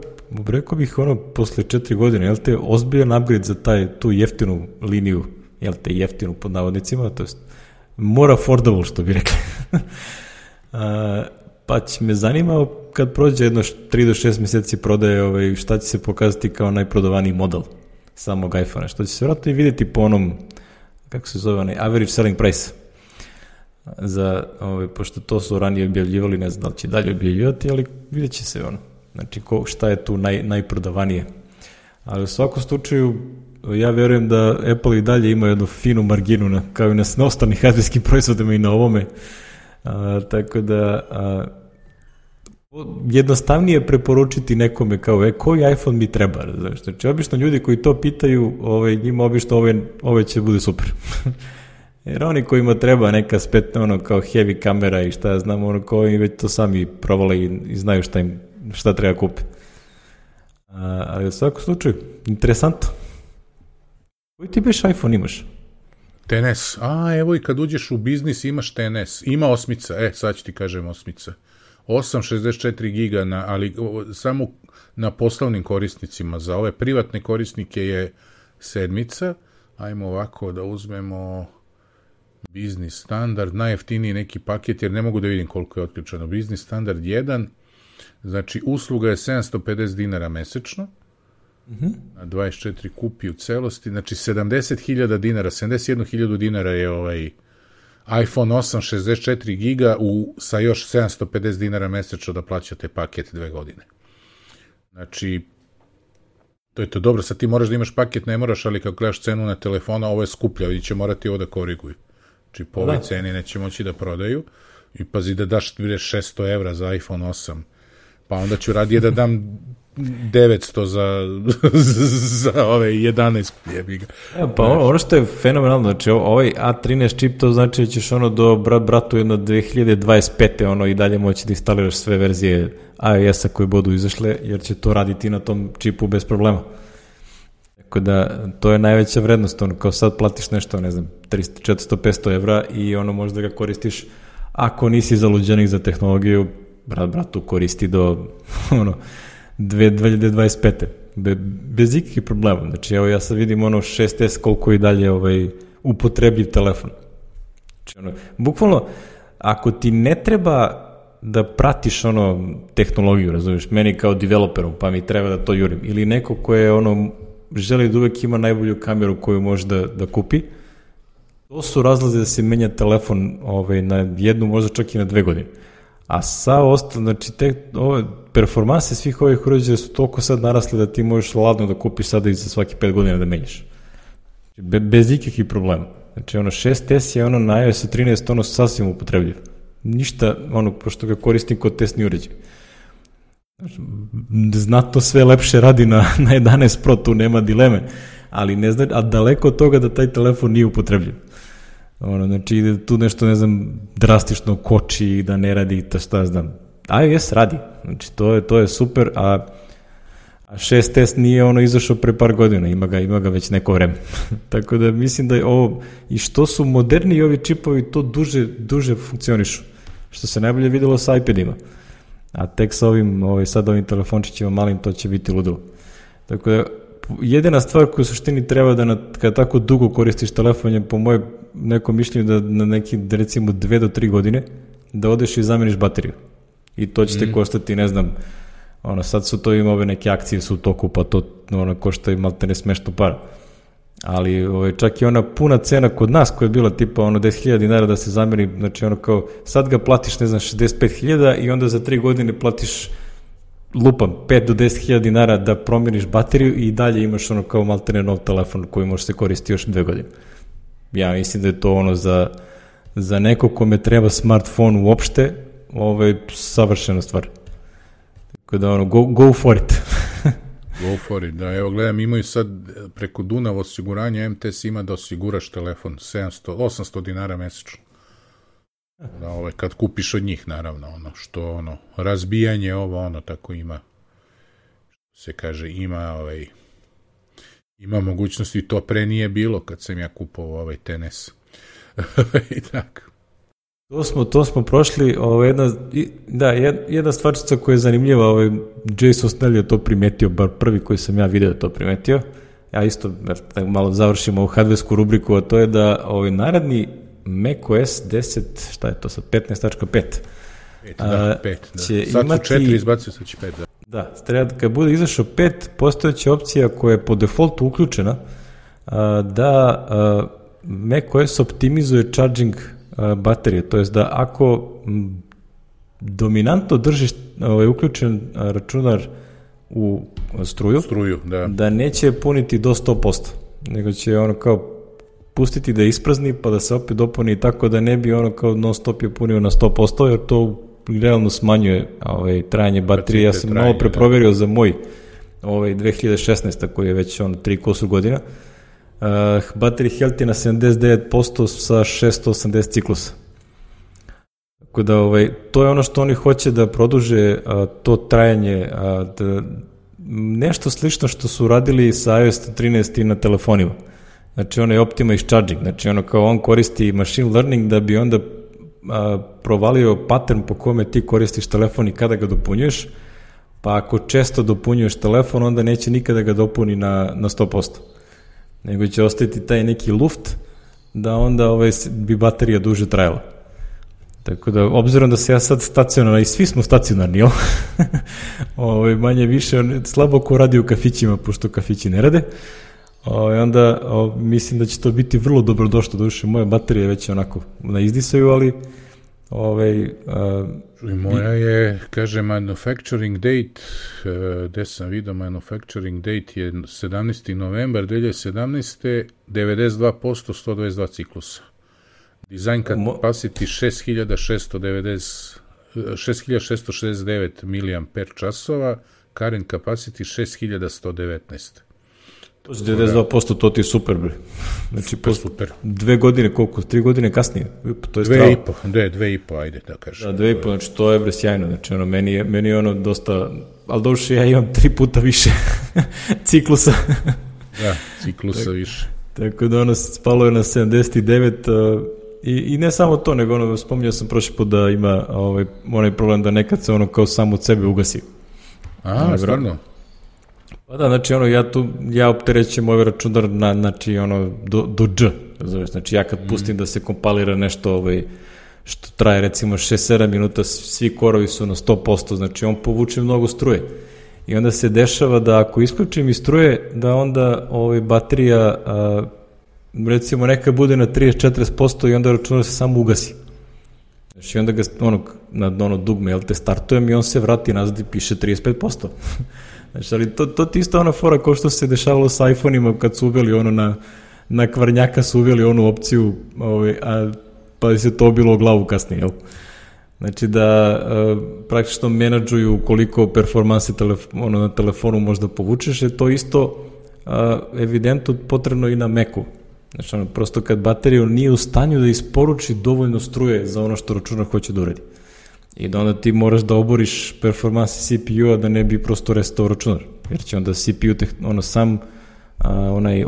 rekao bih, posle 4 godine, jel te, ozbiljan upgrade za tu jeftinu liniju, jel te, jeftinu pod navodnicima, to jest more affordable, što bi rekli. Pa će me zanima kad prođe jedno 3 do 6 mjeseci prodaje, šta će se pokazati kao najprodavaniji model samog iPhone-a, što će se vjerojatno i vidjeti po onom, kako se zove, onaj average selling price. Pošto to su ranije objavljivali, ne znam da li će dalje objavljivati, ali vidjet će se znači šta je tu najprodavanije. Ali u svakom slučaju, ja vjerujem da Apple i dalje ima jednu finu marginu, kao i na ostalih hardverskim proizvodima i na ovome. Tako da jednostavnije preporučiti nekome kao koji iPhone mi treba. Znači, obično ljudi koji to pitaju, njima obično ovo će bude super. Jer oni kojima treba neka spetna kao heavy kamera i šta ja znam, koji već to sami provale i znaju šta treba kupiti. Ali u svakom slučaju, interesantno. Koji ti beš iPhone imaš? XS. Evo i kad uđeš u biznis imaš XS. Ima 8, sad ću ti kažem 8. 864 giga, ali samo na poslovnim korisnicima. Za ove privatne korisnike je 7. Ajmo ovako da uzmemo biznis standard, najjeftiniji neki paket, jer ne mogu da vidim koliko je otključeno. Biznis standard 1, znači usluga je $750 mesečno, na 24 kupi u celosti, znači 70.000 dinara, 71.000 dinara je iPhone 8 64 giga sa još $750 mesečno da plaćate paket 2 godine. Znači, to je to dobro, sad ti moraš da imaš paket, ne moraš, ali kako gledaš cenu na telefona, ovo je skuplja, ovdje će morati ovo da koriguju. Znači, po ovoj ceni neće moći da prodaju i pazi da daš 600 evra za iPhone 8, pa onda ću radije da dam 900 za ove 11 jebiga. Pa ono što je fenomenalno, znači ovaj A13 čip, to znači da ćeš do bratu jedno 2025. I dalje moći da instaliraš sve verzije iOS-a koje budu izašle, jer će to raditi na tom čipu bez problema. Tako da, to je najveća vrednost, kao sad platiš nešto, ne znam, 300, 400, 500 evra i možda ga koristiš, ako nisi zaluđenik za tehnologiju, bratu koristi do 2025. Bez ikakvih problema. Znači, evo ja sad vidim 6S koliko i dalje upotrebljiv telefon. Znači, bukvalno, ako ti ne treba da pratiš tehnologiju, razumiješ, meni kao developeru, pa mi treba da to jurim, ili neko ko je želi da uvek ima najbolju kameru koju može da kupi, to su razlozi da se menja telefon na 1, možda čak i na 2 godine. A znači performanse svih ovih uređaja su toliko sad narasle da ti možeš ladno da kupiš sada i za svaki 5 godina da menjaš. Bez ikakvih problema. Znači 6S je na iOS 13 sasvim upotrebljiv. Ništa, pošto ga koristim kod testni uređaj. Znatno sve lepše radi na 11 Pro, tu nema dileme, ali ne znam, a daleko od toga da taj telefon nije upotrebljiv. Znači, tu nešto, ne znam, drastično koči, da ne radi, šta znam. iOS radi, znači, to je super, a 6S nije izašao pre par godina, ima ga već neko vreme. Tako da mislim da je ovo, i što su moderni ovi čipovi, to duže funkcionišu, što se najbolje videlo sa iPadima. A tek sa ovim telefončićima malim, to će biti ludilo. Tako da, jedina stvar koju u suštini treba da kada tako dugo koristiš telefon je po mojem nekom mišljenju da na neki, recimo 2 do 3 godine da odeš i zameniš bateriju. I to će te koštati, ne znam, sad su to ima ove neke akcije su u toku, pa to košta i malte ne smešno para. Ali čak i ona puna cena kod nas koja je bila tipa 10.000 dinara da se zameni, znači kao sad ga platiš, ne znam, 65.000 i onda za 3 godine platiš lupam 5 do 10.000 dinara da promjeniš bateriju i dalje imaš kao malte ne nov telefon koji može se koristiti još 2 godine. Ja mislim da je to za neko kome treba smartphone uopšte, savršena stvar. Tako da go for it. Go for it, da. Evo gledam, imaju sad preko Dunav osiguranja, MTS ima da osiguraš telefon 800 dinara mesečno. Da, kad kupiš od njih, naravno, razbijanje tako ima, se kaže, ima mogućnosti, to pre nije bilo kad sam ja kupovao TNS. I tako. To smo prošli, jedna stvarčica koja je zanimljiva, Jason Snell je to primetio, bar prvi koji sam ja video to primetio, ja isto malo završimo ovu hardversku rubriku, a to je da naredni macOS 10, šta je to sad, 15.5. 5, da. Sad su 4, izbacio sad će 5, da. Da, kad bude izašao 5, postojeća opcija koja je po defaultu uključena, da macOS optimizuje charging baterije, to jest da ako dominantno držiš uključen računar u struju, da neće puniti do 100%, nego će kao pustiti da isprazni pa da se opet dopuni tako da ne bi kao non stop je punio na 100%, jer to realno smanjuje trajanje baterije. Ja sam malo preproverio za moj 2016. koji je već 3 kusur godina. Battery health je na 79% sa 680 ciklusa. Tako da to je ono što oni hoće da produže to trajanje, nešto slično što su radili sa iOS 13 i na telefonima. Znači onaj optimize charging, znači kao on koristi machine learning da bi onda provalio pattern po kome ti koristiš telefon i kada ga dopunjuješ, pa ako često dopunjuješ telefon onda neće nikada ga dopuni na 100%. Nego će ostaviti taj neki luft da onda bi baterija duže trajala. Tako da, obzirom da se ja sad stacionarno, i svi smo stacionarni, manje više, slabo ko radi u kafićima, pošto kafići ne rade, onda mislim da će to biti vrlo dobro došlo, duše, moja baterija već onako na izdisaju, ali moja je, kaže, manufacturing date, gde sam vidio, manufacturing date je 17. novembar 2017. 92%, 122 ciklusa. Design capacity 6669 mAh, current capacity 6119. To je 92%, to ti je super, bre. Znači, super. 2 godine, koliko? 3 godine kasnije? To je 2,5, ajde da kažem. Da, 2,5, znači to je, bre, sjajno. Znači, meni je dosta, ali došli ja imam 3 puta više ciklusa. Da, ciklusa više. Tako da spalo je na 79 i ne samo to, nego spominjao sam prošli put da ima onaj problem da nekad se kao samo od sebe ugasi. Aha, stvarno? Pa da, znači ja opterećujem ovaj računar znači do dž, znači ja kad pustim da se kompalira nešto što traje recimo 6-7 minuta, svi korovi su na 100%, znači on povuče mnogo struje i onda se dešava da ako isključim iz struje, da onda baterija recimo neka bude na 30-40% i onda računar se samo ugasi. Znači onda ga na dugme startujem i on se vrati nazad i piše 35%. Znači, ali to ti isto ona fora kao što se dešavalo sa iPhone-ima kad su uveli na kvarnjaka su uveli onu opciju, pa se to bilo u glavu kasnije, jel? Znači da praktično menadžuju koliko performanse na telefonu možda povučeš, je to isto evidentno potrebno i na Macu. Znači prosto kad baterija nije u stanju da isporuči dovoljno struje za ono što računar hoće da uradi. I da onda ti moraš da oboriš performanse CPU-a da ne bi prosto restao računar. Jer će onda CPU onaj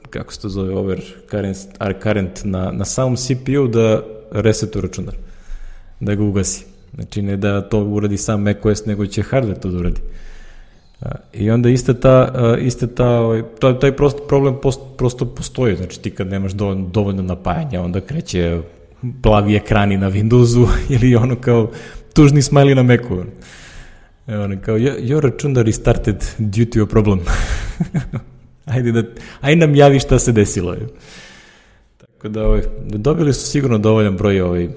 kako se to zove, over current na samom CPU da resetuje računar. Da ga ugasi. Znači ne da to uradi sam macOS, nego će hardware to da uradi. I onda taj problem prosto postoji, znači ti kad nemaš dovoljno napajanja, onda kreće plavi ekrani na Windowsu ili ono kao tužni smiley na Macu. Evo, kao, your račun restarted due to your problem. Ajde nam javi šta se desilo. Tako da, dobili su sigurno dovoljan broj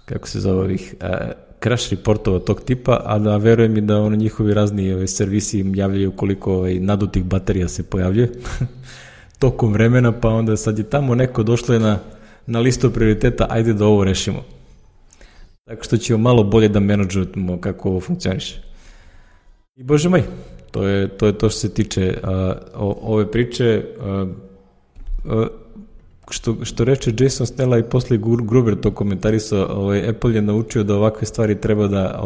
kako se zove ovih crash reportova tog tipa, a da verujem i da njihovi razni servisi im javljaju koliko nadutih baterija se pojavljuje tokom vremena, pa onda sad je tamo neko došlo na listu prioriteta, ajde da ovo rešimo. Tako što ćemo malo bolje da menadžujemo kako ovo funkcioniše. I bože moj, to je to što se tiče ove priče. Što reče Jason Snella i posle Gruber to komentarisao, Apple je naučio da ovakve stvari treba da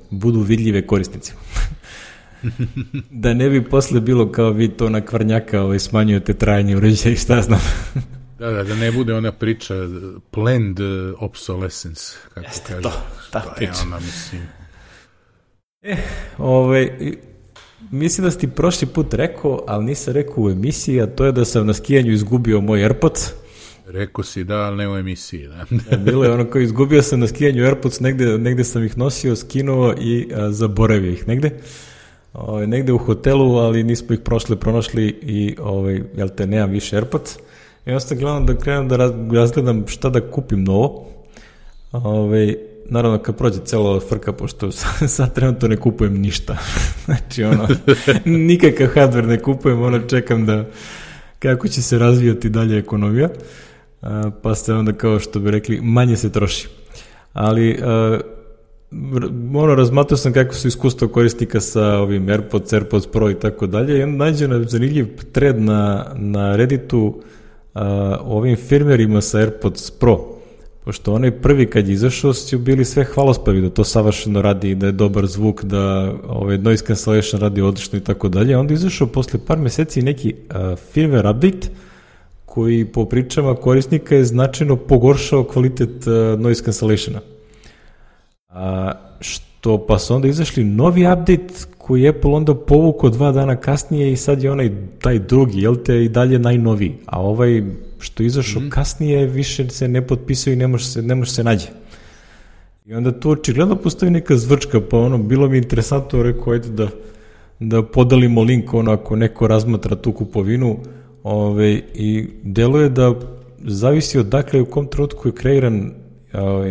budu vidljive korisnicima. Da ne bi posle bilo kao vi to na kvarnjaka smanjujete trajanje uređaja i šta znam. Da ne bude ona priča planned obsolescence, kako jeste kaže. To, ta priča. Je ona, mislim. Mislim da si ti prošli put rekao, ali nisam rekao u emisiji, a to je da sam na skijanju izgubio moj AirPods. Rekao si da, ali ne u emisiji. Da. Bilo je ono kao izgubio sam na skijanju AirPods, negde sam ih nosio, skinuo i zaboravio ih negde u hotelu, ali nismo ih pronašli i nemam više AirPods. I onda sam gledam da krenem da razgledam šta da kupim novo. Naravno kad prođe celo frka, pošto sad trenutno ne kupujem ništa. Znači nikakav hardware ne kupujem, čekam da kako će se razvijati dalje ekonomija, pa se onda kao što bi rekli manje se troši. Ali razmatrao sam kako su iskustva korisnika sa ovim AirPods Pro i tako dalje i onda nađe zanimljiv thread na Redditu o ovim firmerima sa AirPods Pro. Pošto onaj prvi kad je izašao su bili sve hvalospevi da to savršeno radi, da je dobar zvuk, da noise cancellation radi odlično i tako dalje. Onda je izašao posle par meseci neki firmware update koji po pričama korisnika je značajno pogoršao kvalitet noise cancellationa. Pa su onda izašli novi update koji je Apple onda povukao 2 dana kasnije i sad je taj drugi, i dalje najnoviji. A što je izašao kasnije više se ne potpisao i ne može se nađe. I onda tu očigledno postoji neka zvrčka, pa bilo mi interesantno, rekao, ajde da podelimo link ako neko razmatra tu kupovinu i deluje da zavisi od dakle u kom trenutku je kreiran,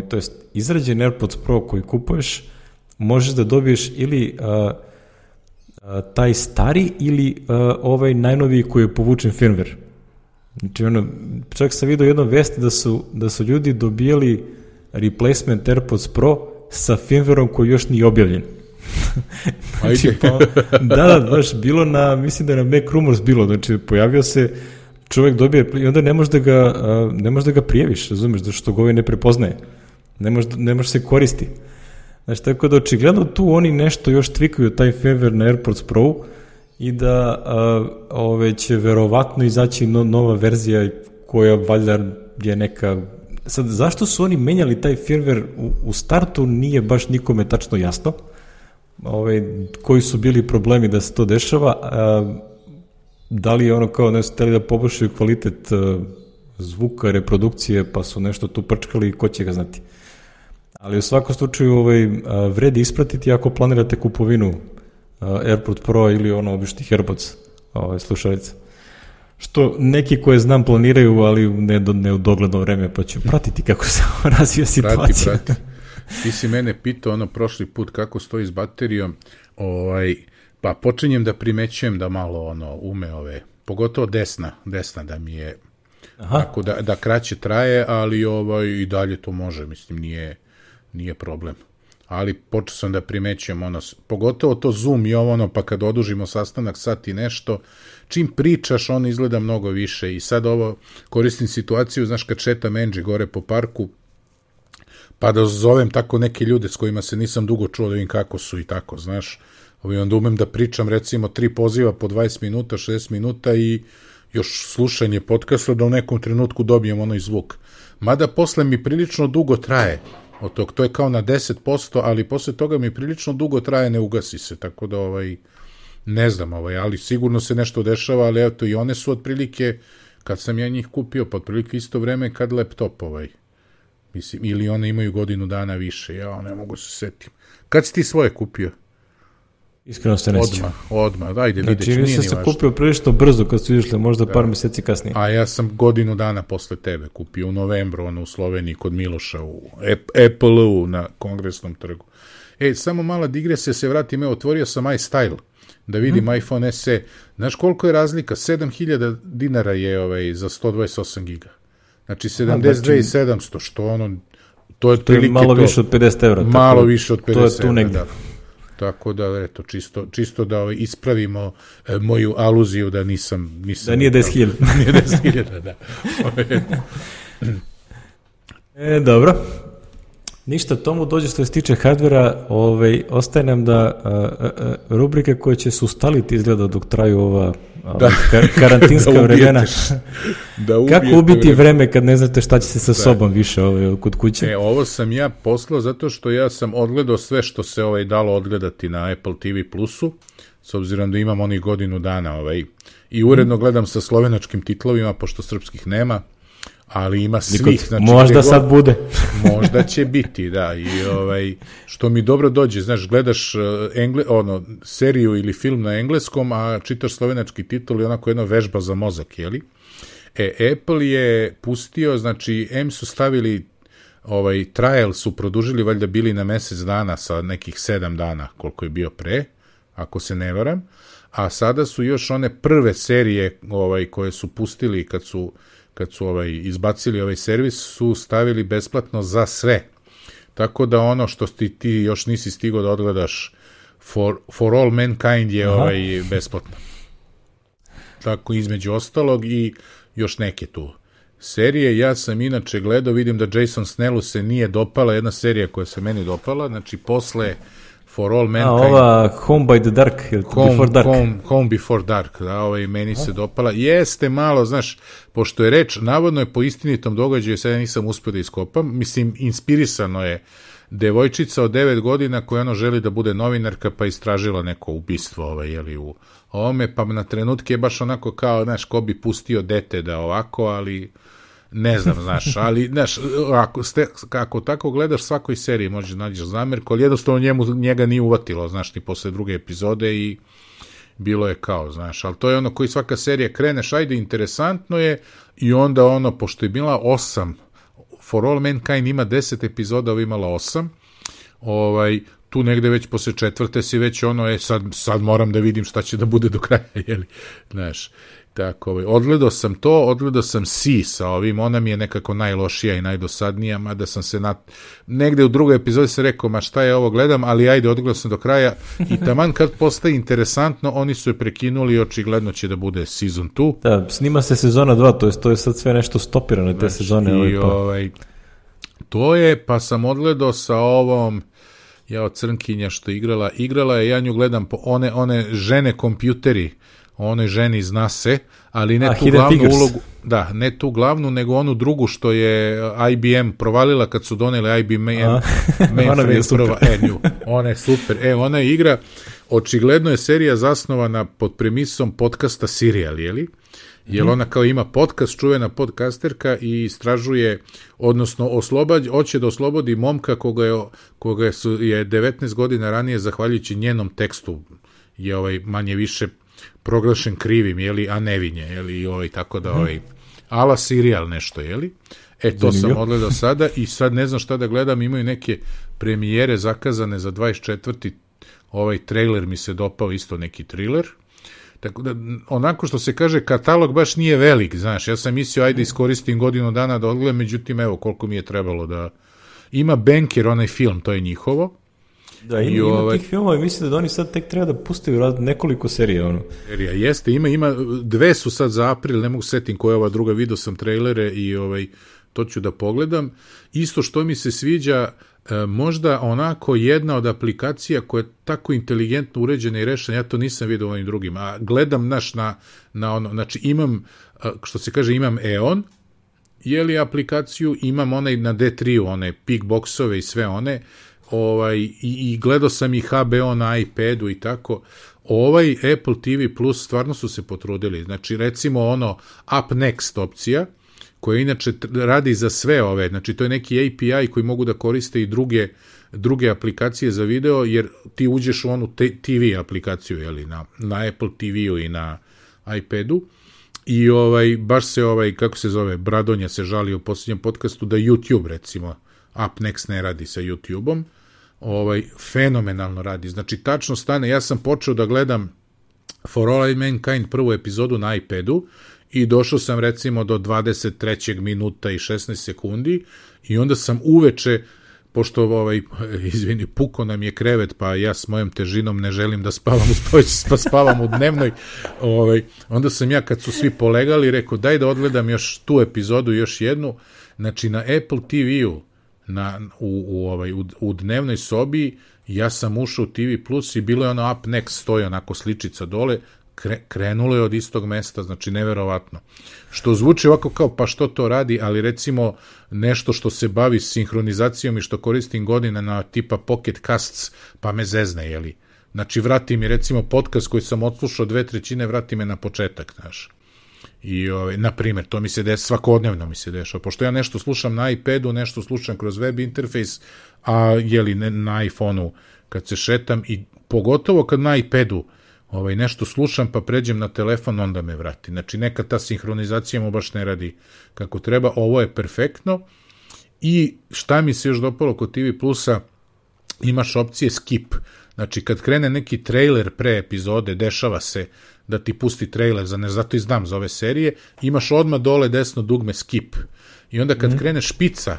to jest izrađen AirPods Pro koji kupuješ, možeš da dobiješ ili taj stari ili najnoviji koji je povučen firmware. Znači, čak sam vidio jedno vesti da su ljudi dobijali replacement AirPods Pro sa firmwareom koji još nije objavljen. Znači, da, baš bilo mislim da je na Mac Rumors bilo, znači pojavio se, čovjek dobije i onda ne možeš da ga prijaviš, razumeš, zato što ga ne prepoznaje. Ne može se koristi. Znači, tako da očigledno tu oni nešto još tvikuju taj firmware na AirPods Pro i da će verovatno izaći nova verzija koja valjda je neka... Sad, zašto su oni menjali taj firmware u startu nije baš nikome tačno jasno. Koji su bili problemi da se to dešava, da li je kao ne su hteli da poboljšaju kvalitet zvuka, reprodukcije, pa su nešto tu prčkali i ko će ga znati. Ali u svakom slučaju vredi ispratiti ako planirate kupovinu AirPods Pro ili običnih AirPods slušalica. Što neki koje znam planiraju, ali ne u dogledno vreme, pa ću pratiti kako se razvija situacija. Prati. Ti si mene pitao prošli put kako stoji s baterijom, pa počinjem da primećujem da malo ume pogotovo desna da mi je tako da kraće traje, ali i dalje to može, mislim nije problem. Ali počeo sam da primećujem pogotovo to Zoom i pa kad odužimo sastanak sat i nešto, čim pričaš izgleda mnogo više i sad koristim situaciju, znaš, kad šetam Angie gore po parku, pa da zovem tako neke ljude s kojima se nisam dugo čuo da vidim kako su i tako, znaš, onda umem da pričam recimo 3 poziva po 20 minuta, 60 minuta i još slušanje podcasta da u nekom trenutku dobijem i zvuk. Mada posle mi prilično dugo traje, od tog. To je kao na 10%, ali posle toga mi prilično dugo traje, ne ugasi se, tako da ne znam, ali sigurno se nešto dešava, ali eto, i one su otprilike, kad sam ja njih kupio, pa otprilike isto vreme kad laptop mislim, ili one imaju godinu dana više, ja ne mogu se setim. Kad si ti svoje kupio? Iskreno se ne sjećam. Odmah, ajde, vidjet ću, nije ni važno. Sam kupio prilično brzo kad su išle, možda par mjeseci kasnije. A ja sam godinu dana posle tebe kupio u novembru, u Sloveniji kod Miloša, u Apple-u na Kongresnom trgu. Samo mala digresija, se vratim, otvorio sam iStyle, da vidim iPhone SE. Znaš koliko je razlika? 7.000 dinara je za 128 giga. Znači 72.700, što to je otprilike malo više od 50 evra. Malo više od 50 evra. To je tu negdje. Tako da, eto, čisto da ispravimo moju aluziju da nisam... Da nije 10.000. Nije 10.000, da. Dobro. Ništa, tomu dođe što se tiče hardvera, ostaje nam da rubrike koje će se ustaliti izgleda dok traju ova karantinska vremena. Kako ubiti vreme kad ne znate šta će se sa sobom više kod kuće? Ovo sam ja poslao zato što ja sam odgledao sve što se dalo odgledati na Apple TV Plusu, s obzirom da imam onih godinu dana i uredno gledam sa slovenačkim titlovima, pošto srpskih nema, ali ima svih. Znači, možda sad bude. Možda će biti, da. I što mi dobro dođe, znaš, gledaš seriju ili film na engleskom, a čitaš slovenački titul i onako jedna vežba za mozak, jeli? Apple je pustio, znači, su stavili trial su produžili, valjda bili na mesec dana sa nekih 7 dana, koliko je bio pre, ako se ne varam, a sada su još one prve serije koje su pustili kad su izbacili servis, su stavili besplatno za sve. Tako da ono što ti još nisi stigao da odgledaš For All Mankind je besplatno. Tako između ostalog i još neke tu serije. Ja sam inače gledao, vidim da Jason Snellu se nije dopala, jedna serija koja se meni dopala, znači posle For All Mankind. Ova Home by the Dark, Before Dark. Home Before Dark, da, meni se dopala. Jeste malo, znaš, pošto je reč, navodno je po istinitom događaju, sad ja nisam uspio da iskopam, mislim, inspirisano je devojčica od 9 godina koja želi da bude novinarka, pa istražila neko ubistvo, u ovome, pa na trenutke je baš onako kao, znaš, ko bi pustio dete da ovako, ali... Ne znam, znaš, ali, znaš, ako tako gledaš svakoj seriji možeš nađeš zamerku, ali jednostavno njega nije uvatilo, znaš, ni posle druge epizode i bilo je kao, znaš, ali to je koji svaka serija kreneš, ajde, interesantno je i onda pošto je bila 8, For All Mankind ima 10 epizoda, ovo imala 8, tu negde već posle 4. si već sad moram da vidim šta će da bude do kraja, jeli, znaš. Tako, odgledao sam Si sa ona mi je nekako najlošija i najdosadnija, mada sam se negde u drugoj epizodi se rekao, ma šta je ovo gledam, ali ajde, odgledao sam do kraja i taman kad postaje interesantno, oni su je prekinuli i očigledno će da bude season 2. Da, snima se sezona 2, to je sad sve nešto stopirano te sezone. To je, pa sam odgledao sa ovom crnkinja što igrala je, ja nju gledam po one žene kompjuteri, onoj ženi zna se, ali ne tu glavnu ulogu, da, ne tu glavnu, nego onu drugu što je IBM provalila kad su doneli IBM mainframe prva, ona je super, ona je igra, očigledno je serija zasnovana pod premisom podcasta Serial, jeli? Jer ona kao ima podcast, čuvena podcasterka i istražuje, odnosno hoće da oslobodi momka koga je 19 godina ranije, zahvaljujući njenom tekstu, je manje više proglašen krivim, jeli, a nevinje, jeli, tako da, ala Serial nešto, jeli? To sam odgledao sada i sad ne znam šta da gledam, imaju neke premijere zakazane za 24. trailer mi se dopao, isto neki thriller, tako da, onako što se kaže, katalog baš nije velik, znaš, ja sam mislio, ajde iskoristim godinu dana da odgledam, međutim, evo, koliko mi je trebalo da... Ima Banker, onaj film, to je njihovo. Da, ima tih filmova i mislim da oni sad tek treba da pustaju nekoliko serija, Serija, jeste, ima, dve su sad za april, ne mogu setim koja je ova druga, vidio sam trailere i to ću da pogledam. Isto što mi se sviđa, možda onako jedna od aplikacija koja je tako inteligentno uređena i rešena, ja to nisam vidio ovim drugim, a gledam znači imam, što se kaže, imam EON aplikaciju, imam onaj na D3, one Pickboxove i sve one, i gledao sam i HBO na iPadu i tako. Apple TV Plus stvarno su se potrudili. Znači, recimo Up Next opcija, koja inače radi za sve ove, znači to je neki API koji mogu da koriste i druge aplikacije za video, jer ti uđeš u onu TV aplikaciju, jeli, na Apple TV-u i na iPadu, i baš se kako se zove, Bradonja se žali u posljednjem podcastu da YouTube, recimo, Up Next ne radi sa YouTube-om, fenomenalno radi. Znači, tačno stane, ja sam počeo da gledam For All Mankind prvu epizodu na iPadu i došao sam recimo do 23. minuta i 16 sekundi i onda sam uveče, pošto izvini, puko nam je krevet, pa ja s mojom težinom ne želim da spavam u spavaćici, pa spavam u dnevnoj, onda sam ja, kad su svi polegali, rekao daj da odgledam još tu epizodu, još jednu. Znači, na Apple TV-u u dnevnoj sobi ja sam ušao u TV Plus i bilo je Up Next, stoji onako sličica dole, krenulo je od istog mesta, znači neverovatno. Što zvuči ovako kao pa što to radi, ali recimo nešto što se bavi sinhronizacijom i što koristim godine na tipa Pocket Casts, pa me zezne, jeli. Znači vrati mi recimo podcast koji sam odslušao 2/3, vrati me na početak, znaš. I, na primjer, to mi se dešava, svakodnevno mi se dešava, pošto ja nešto slušam na iPadu, nešto slušam kroz web interfejs, a jeli na iPhoneu kad se šetam, i pogotovo kad na iPadu nešto slušam pa pređem na telefon, onda me vrati. Znači, neka ta sinhronizacija mu baš ne radi kako treba. Ovo je perfektno. I šta mi se još dopalo kod TV Plusa, imaš opcije skip. Znači, kad krene neki trailer pre epizode, dešava se da ti pusti trailer, zato i znam za ove serije, imaš odmah dole desno dugme skip. I onda kad krene špica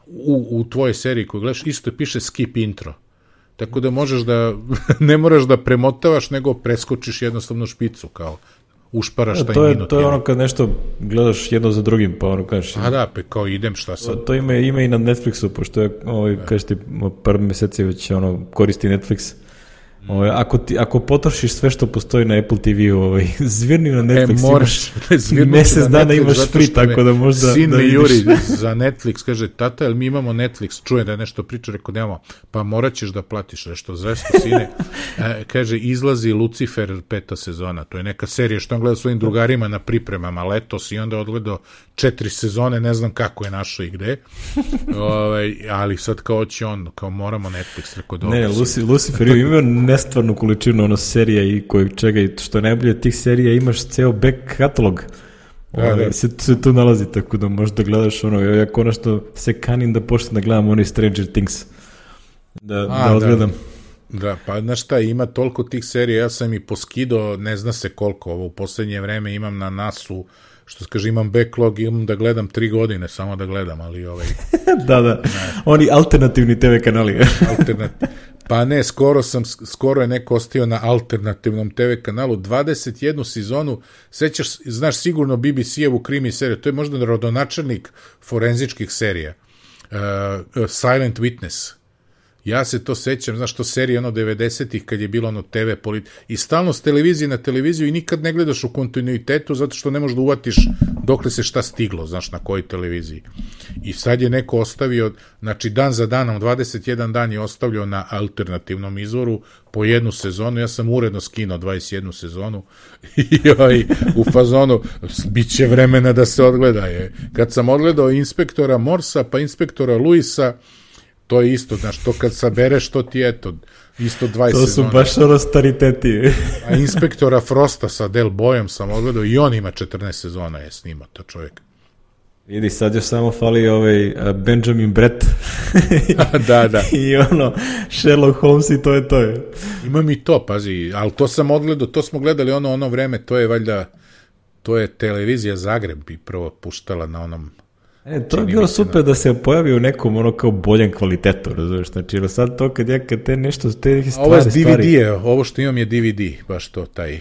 u tvojoj seriji koju gledaš, isto piše skip intro. Tako da možeš da, ne moraš da premotavaš, nego preskočiš jednostavno špicu, kao ušparaš taj minut. To je ono kad nešto gledaš jedno za drugim, pa ono kažeš... A da, pa kao idem, šta sad? To ima i na Netflixu, pošto je, kažeš ti, par meseci već koristi Netflix. Ako potrošiš sve što postoji na Apple TV-u, zvirni na Netflix, moraš, mesec dana imaš free, tako da možda... Sin me juri za Netflix, kaže, tata, jel mi imamo Netflix? Čuje da je nešto priča, rekao, nemamo, pa morat ćeš da platiš nešto, zašto, sine? Kaže, izlazi Lucifer 5. sezona, to je neka serija što on gleda svojim drugarima na pripremama letos i onda odgledao 4 sezone, ne znam kako je našao i gde, ali sad kao će on, kao moramo Netflix, rekao, dobro. Ne, Lucifer ima nestvarnu količinu serija i čega, i što je najbolje od tih serija, imaš ceo back katalog. Se tu nalazi, tako da možda gledaš ja konačno se kanim da počnem da gledam Stranger Things. Da odgledam. Da, pa znaš šta, ima toliko tih serija, ja sam i poskidao, ne zna se koliko, u poslednje vreme imam na NAS-u, što se kaže, imam backlog, imam da gledam 3 godine, samo da gledam, ali Da, oni alternativni TV kanali. Pa ne, skoro je neko ostio na alternativnom TV kanalu, 21 sezonu, znaš sigurno BBC-evu krimi seriju, to je možda rodonačelnik forenzičkih serija, Silent Witness. Ja se to sećam, znaš, to serija 90-ih kad je bilo TV i stalno s televizije na televiziju i nikad ne gledaš u kontinuitetu zato što ne možeš da uvatiš dokle se šta stiglo, znaš, na kojoj televiziji. I sad je neko ostavio, znači dan za danom, 21 dan je ostavljao na alternativnom izvoru po jednu sezonu, ja sam uredno skinuo 21 sezonu i u fazonu bit će vremena da se odgleda. Kad sam odgledao Inspektora Morsa pa Inspektora Luisa, to je isto, znaš, to kad sabereš, to ti isto 20 sezona. To su baš stariteti. A Inspektora Frosta sa Del Boyom sam odgledao i on ima 14 sezona, je snimao to čovjek. Vidi, sad još samo fali Benjamin Brett. Da. I Sherlock Holmes i to je to. Imam i to, pazi, ali to sam odgledao, to smo gledali ono vreme, to je valjda, to je televizija Zagreb bi prvo puštala na onom. To je bilo super da se pojavi u nekom kao boljem kvalitetu, razumiješ, znači, sad to kad te nešto, te stvari... Ovo je DVD, ovo što imam je DVD, baš to, taj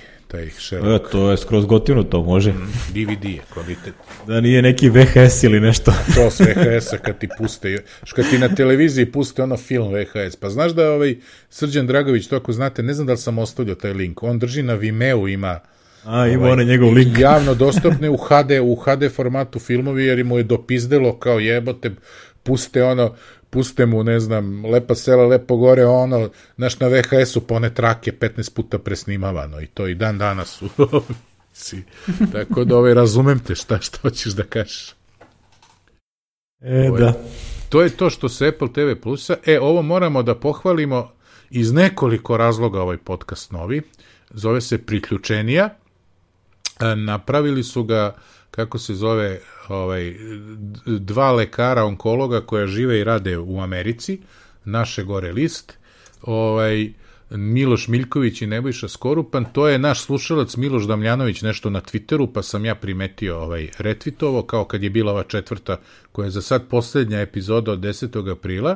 Sherlock. To je skroz gotivno, to može. DVD je kvalitet. Da nije neki VHS ili nešto. To s VHS-a kad ti puste, kad ti na televiziji puste film VHS, pa znaš da Srđan Dragović, to ako znate, ne znam da li sam ostavljao taj link, on drži na Vimeo, ima Ima onaj njegov link. Javno dostupne u HD formatu filmovi, jer mu je dopizdelo kao jebote, puste mu, ne znam, Lepa sela, lepo gore, znaš, na VHS-u pone trake 15 puta presnimavano i to i dan danas su. Tako da razumem te šta hoćeš da kažeš. Da. To je to što se Apple TV Plusa. Ovo moramo da pohvalimo iz nekoliko razloga, ovaj podcast novi. Zove se Priključenija. Napravili su ga, kako se zove, dva lekara onkologa koja žive i rade u Americi, naše gore list, Miloš Miljković i Nebojša Skorupan. To je naš slušalac Miloš Damljanović nešto na Twitteru, pa sam ja primetio retvitovo, kao kad je bila ova 4. koja je za sad posljednja epizoda od 10. aprila.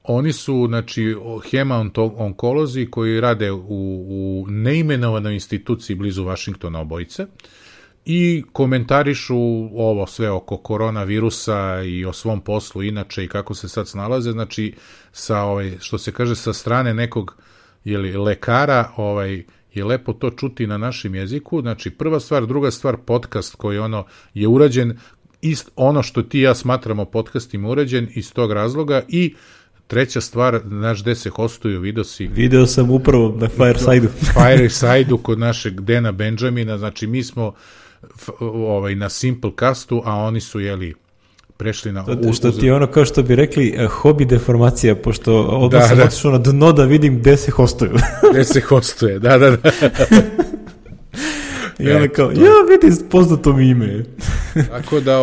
Oni su, znači, hema-onkolozi koji rade u neimenovanoj instituciji blizu Vašingtona obojice i komentarišu ovo sve oko koronavirusa i o svom poslu inače i kako se sad snalaze, znači, što se kaže, sa strane nekog lekara, je lepo to čuti na našem jeziku. Znači, prva stvar, druga stvar, podcast koji je urađen, ono što ti i ja smatramo podcastima urađen iz tog razloga. I treća stvar, znaš gde se hostuju, video sam upravo na Fireside-u. Fireside-u kod našeg Dana Benjamina, znači mi smo na Simplecastu, a oni su, prešli na... Što ti je kao što bi rekli, hobi deformacija, pošto odmah sam otišao na dno da vidim gde se hostuju. Gde se hostuje, da. I ona kao, vidim poznato mi ime. Tako da,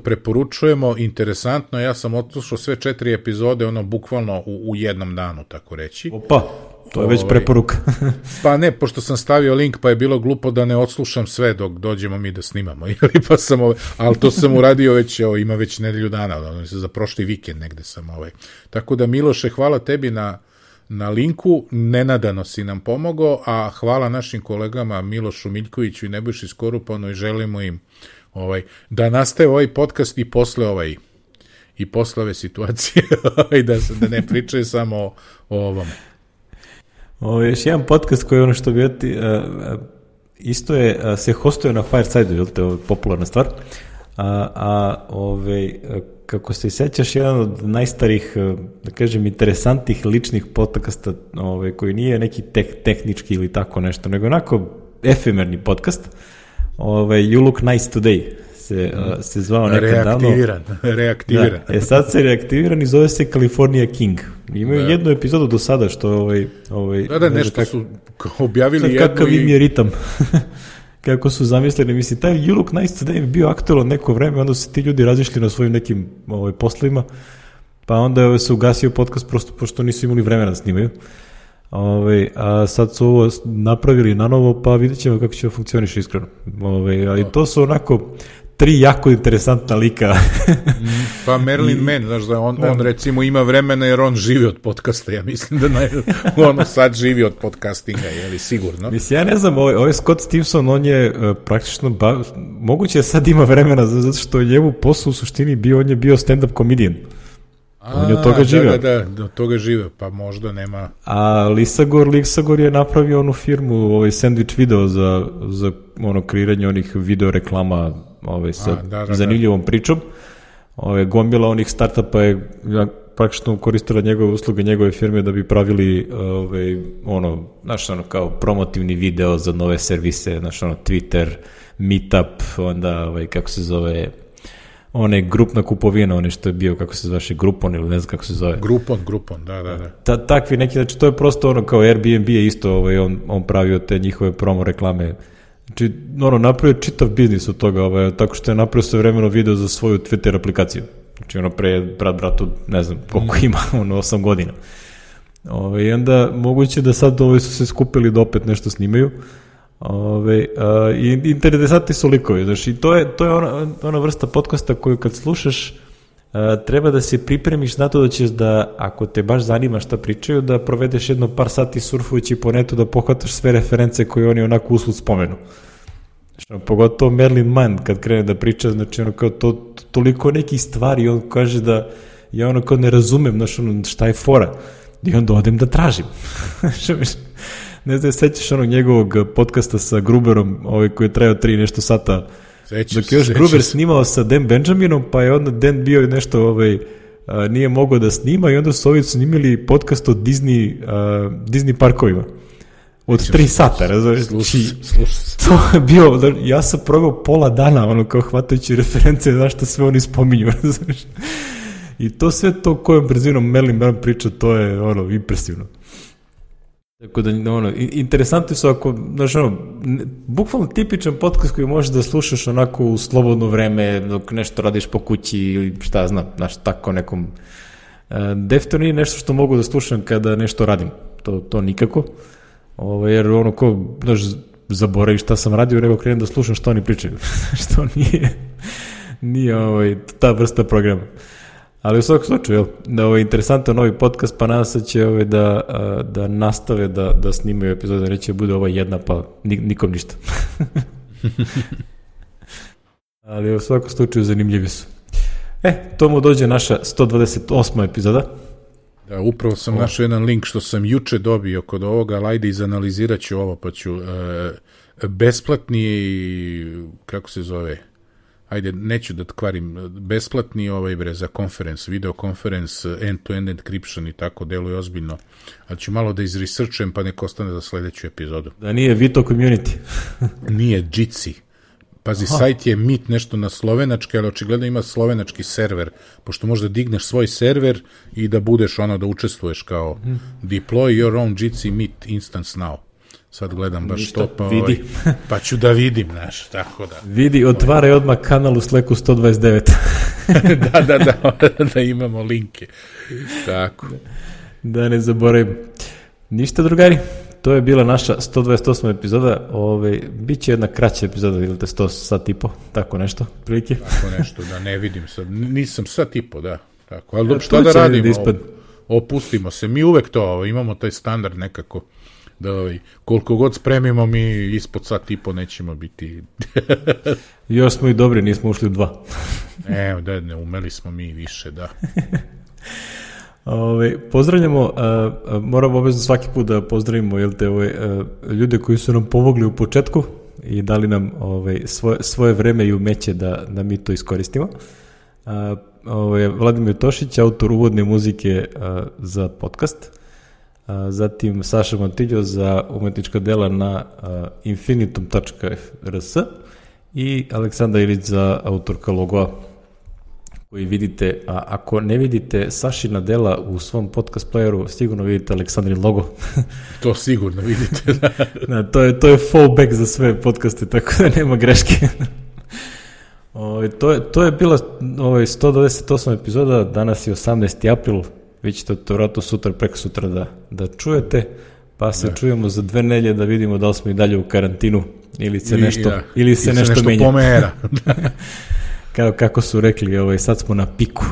preporučujemo, interesantno, ja sam odslušao sve 4 epizode, bukvalno u jednom danu, tako reći. Opa, to je već preporuka. Pa ne, pošto sam stavio link, pa je bilo glupo da ne odslušam sve dok dođemo mi da snimamo, pa sam, ali to sam uradio već, ima već nedelju dana, za prošli vikend negde sam, Tako da, Miloše, hvala tebi na linku, nenadano si nam pomogao, a hvala našim kolegama Milošu Miljkoviću i Nebojši Skorupanu i želimo im da nastaje ovaj podcast i posle ove situacije, da ne pričaju samo o ovom. Još jedan podcast koji što bi isto se hostuje na Fireside-u, to je popularna stvar, kako se sećaš, jedan od najstarijih, da kažem, interesantnih ličnih podcasta, koji nije neki tehnički ili tako nešto, nego onako efemerni podcast, You Look Nice Today se zvao nekad davno. Reaktiviran. Da, sad se reaktiviran i zove se California King. Imaju jednu epizodu do sada što nešto su objavili jednu kakav im je ritam. Kako su zamislili, mislim, taj You Look Nice Today je bio aktualan neko vreme, onda su ti ljudi razišli na svojim nekim poslovima, pa onda se ugasio podcast prosto pošto nisu imali vremena da snimaju. A sad su ovo napravili na novo, pa vidjet ćemo kako će funkcioniše iskreno. Ali to su onako 3 jako interesantna lika. Pa Merlin Mann, znaš da on recimo ima vremena jer on živi od podcasta, ja mislim da sad živi od podcastinga, sigurno. Mislim, ja ne znam, ovaj Scott Stimson, on je praktično, moguće sad ima vremena, zato što je njemu posao u suštini bio, on je bio stand-up comedian. On je od toga živeo. Da, od toga živeo, pa možda nema... A Lisagor je napravio onu firmu, Sandwich Video za kreiranje onih video reklama sa zanimljivom pričom. Gomila onih startupa je praktično koristila njegove usluge, njegove firme da bi pravili kao promotivni video za nove servise, Twitter, Meetup, onda kako se zove... grupna kupovina, što je bio, kako se zove, Groupon ili ne znam kako se zove. Groupon, da. Takvi neki, znači to je prosto kao Airbnb je isto, on pravio te njihove promo reklame. Znači, napravio čitav biznis od toga, tako što je napravio sve vremeno video za svoju Twitter aplikaciju. Znači, pre bratu, ne znam koliko ima, 8 godina. I onda moguće da sad su se skupili da opet nešto snimaju. I interesantni su likovi, znači to je ona vrsta podcasta koju kad slušaš treba da se pripremiš na to da ćeš da, ako te baš zanima šta pričaju, da provedeš jedno par sati surfujući po netu da pohvataš sve reference koje oni onako uslud spomenu. Znači, pogotovo Merlin Mann kad krene da priča, znači kao toliko nekih stvari, on kaže da ja kao ne razumem, znači šta je fora, i onda odem da tražim. Ne znam, sećaš onog njegovog podcasta sa Gruberom, koji je trajao 3 nešto sata. Dok je još Gruber snimao sa Dan Benjaminom, pa je onda Dan bio nešto, nije mogao da snima i onda su ovi snimili podcast o Disney parkovima. Od 3 sata, razumiješ? To je bio, ja sam proveo pola dana, kao hvatajući reference, znaš šta sve oni spominju, razumiješ? I to sve to kojom brzinom Merlin priča, to je impresivno. Tako da, interesantni su znaš, bukvalno tipičan podcast koji možeš da slušaš onako u slobodno vreme, dok nešto radiš po kući ili šta znam, znaš, tako nekom. Definitivno nije nešto što mogu da slušam kada nešto radim, to nikako. Jer znaš, zaboraviš šta sam radio, nego krenem da slušam što oni pričaju, što nije ta vrsta programa. Ali u svakom slučaju, interesantan novi podcast, pa nadam se će da nastave da snimaju epizode, neće bude ova jedna, pa nikom ništa. Ali u svakom slučaju zanimljivi su. To mu dođe naša 128. epizoda. Da, upravo sam našao jedan link što sam juče dobio kod ovoga, ali ajde izanalizirat ću ovo, pa ću besplatni, kako se zove, ajde, neću da kvarim, besplatni za konferens, videokonferens, end-to-end encryption i tako, deluje ozbiljno, ali ću malo da izresearchujem, pa nek ostane za sledeću epizodu. Da nije Vito Community. Nije, Jitsi. Pazi, sajt je Meet nešto na slovenački, ali očigledno ima slovenački server, pošto možda digneš svoj server i da budeš da učestvuješ kao deploy your own Jitsi Meet instance now. Sad gledam baš to, pa ću da vidim, znaš, tako da. Vidi, otvaraj odmah kanal u Slacku 129. da imamo linke. Tako. Da ne zaboravim. Ništa, drugari, to je bila naša 128. epizoda. Biće jedna kraća epizoda, ili te 100 sat i po, tako nešto, prilike. Tako nešto, da ne vidim sad. Nisam sat i po, da. Tako, ali šta da radimo? Opustimo se. Mi uvek to imamo taj standard nekako. Da, koliko god spremimo, mi ispod sat i po nećemo biti. Još smo i dobri, nismo ušli u 2. Ne umeli smo mi više, da. Pozdravljamo, moramo obavezno svaki put da pozdravimo ljude koji su nam pomogli u početku i dali nam svoje vreme i umeće da mi to iskoristimo. Vladimir Tošić, autor uvodne muzike za podcast. Zatim Saša Montillo za umetnička dela na infinitum.rs i Aleksandar Ilić za autorka logoa koji vidite, a ako ne vidite Sašina dela u svom podcast playeru, sigurno vidite Aleksandrin logo. To sigurno vidite, da. To je fallback za sve podcaste, tako da nema greške. To je bila 128. epizoda, danas je 18. april, vi ćete to vratno sutra, preko sutra da čujete, pa se čujemo za 2 nedelje da vidimo da li smo i dalje u karantinu ili se nešto menja. Pomera. Kako su rekli, sad smo na piku,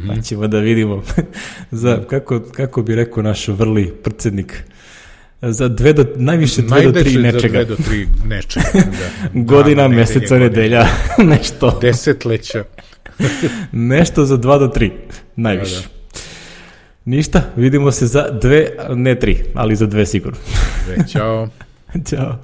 pa ćemo da vidimo, kako bi rekao naš vrli predsjednik, najviše 2 do 3 nečega. Najviše za 2 do 3 nečega. Godina, meseca, nedelja, nešto. Desetleća. Nešto za 2 do 3, najviše. Ništa, vidimo se za 2, ne 3, ali za 2 sigurno. Ćao. Ćao.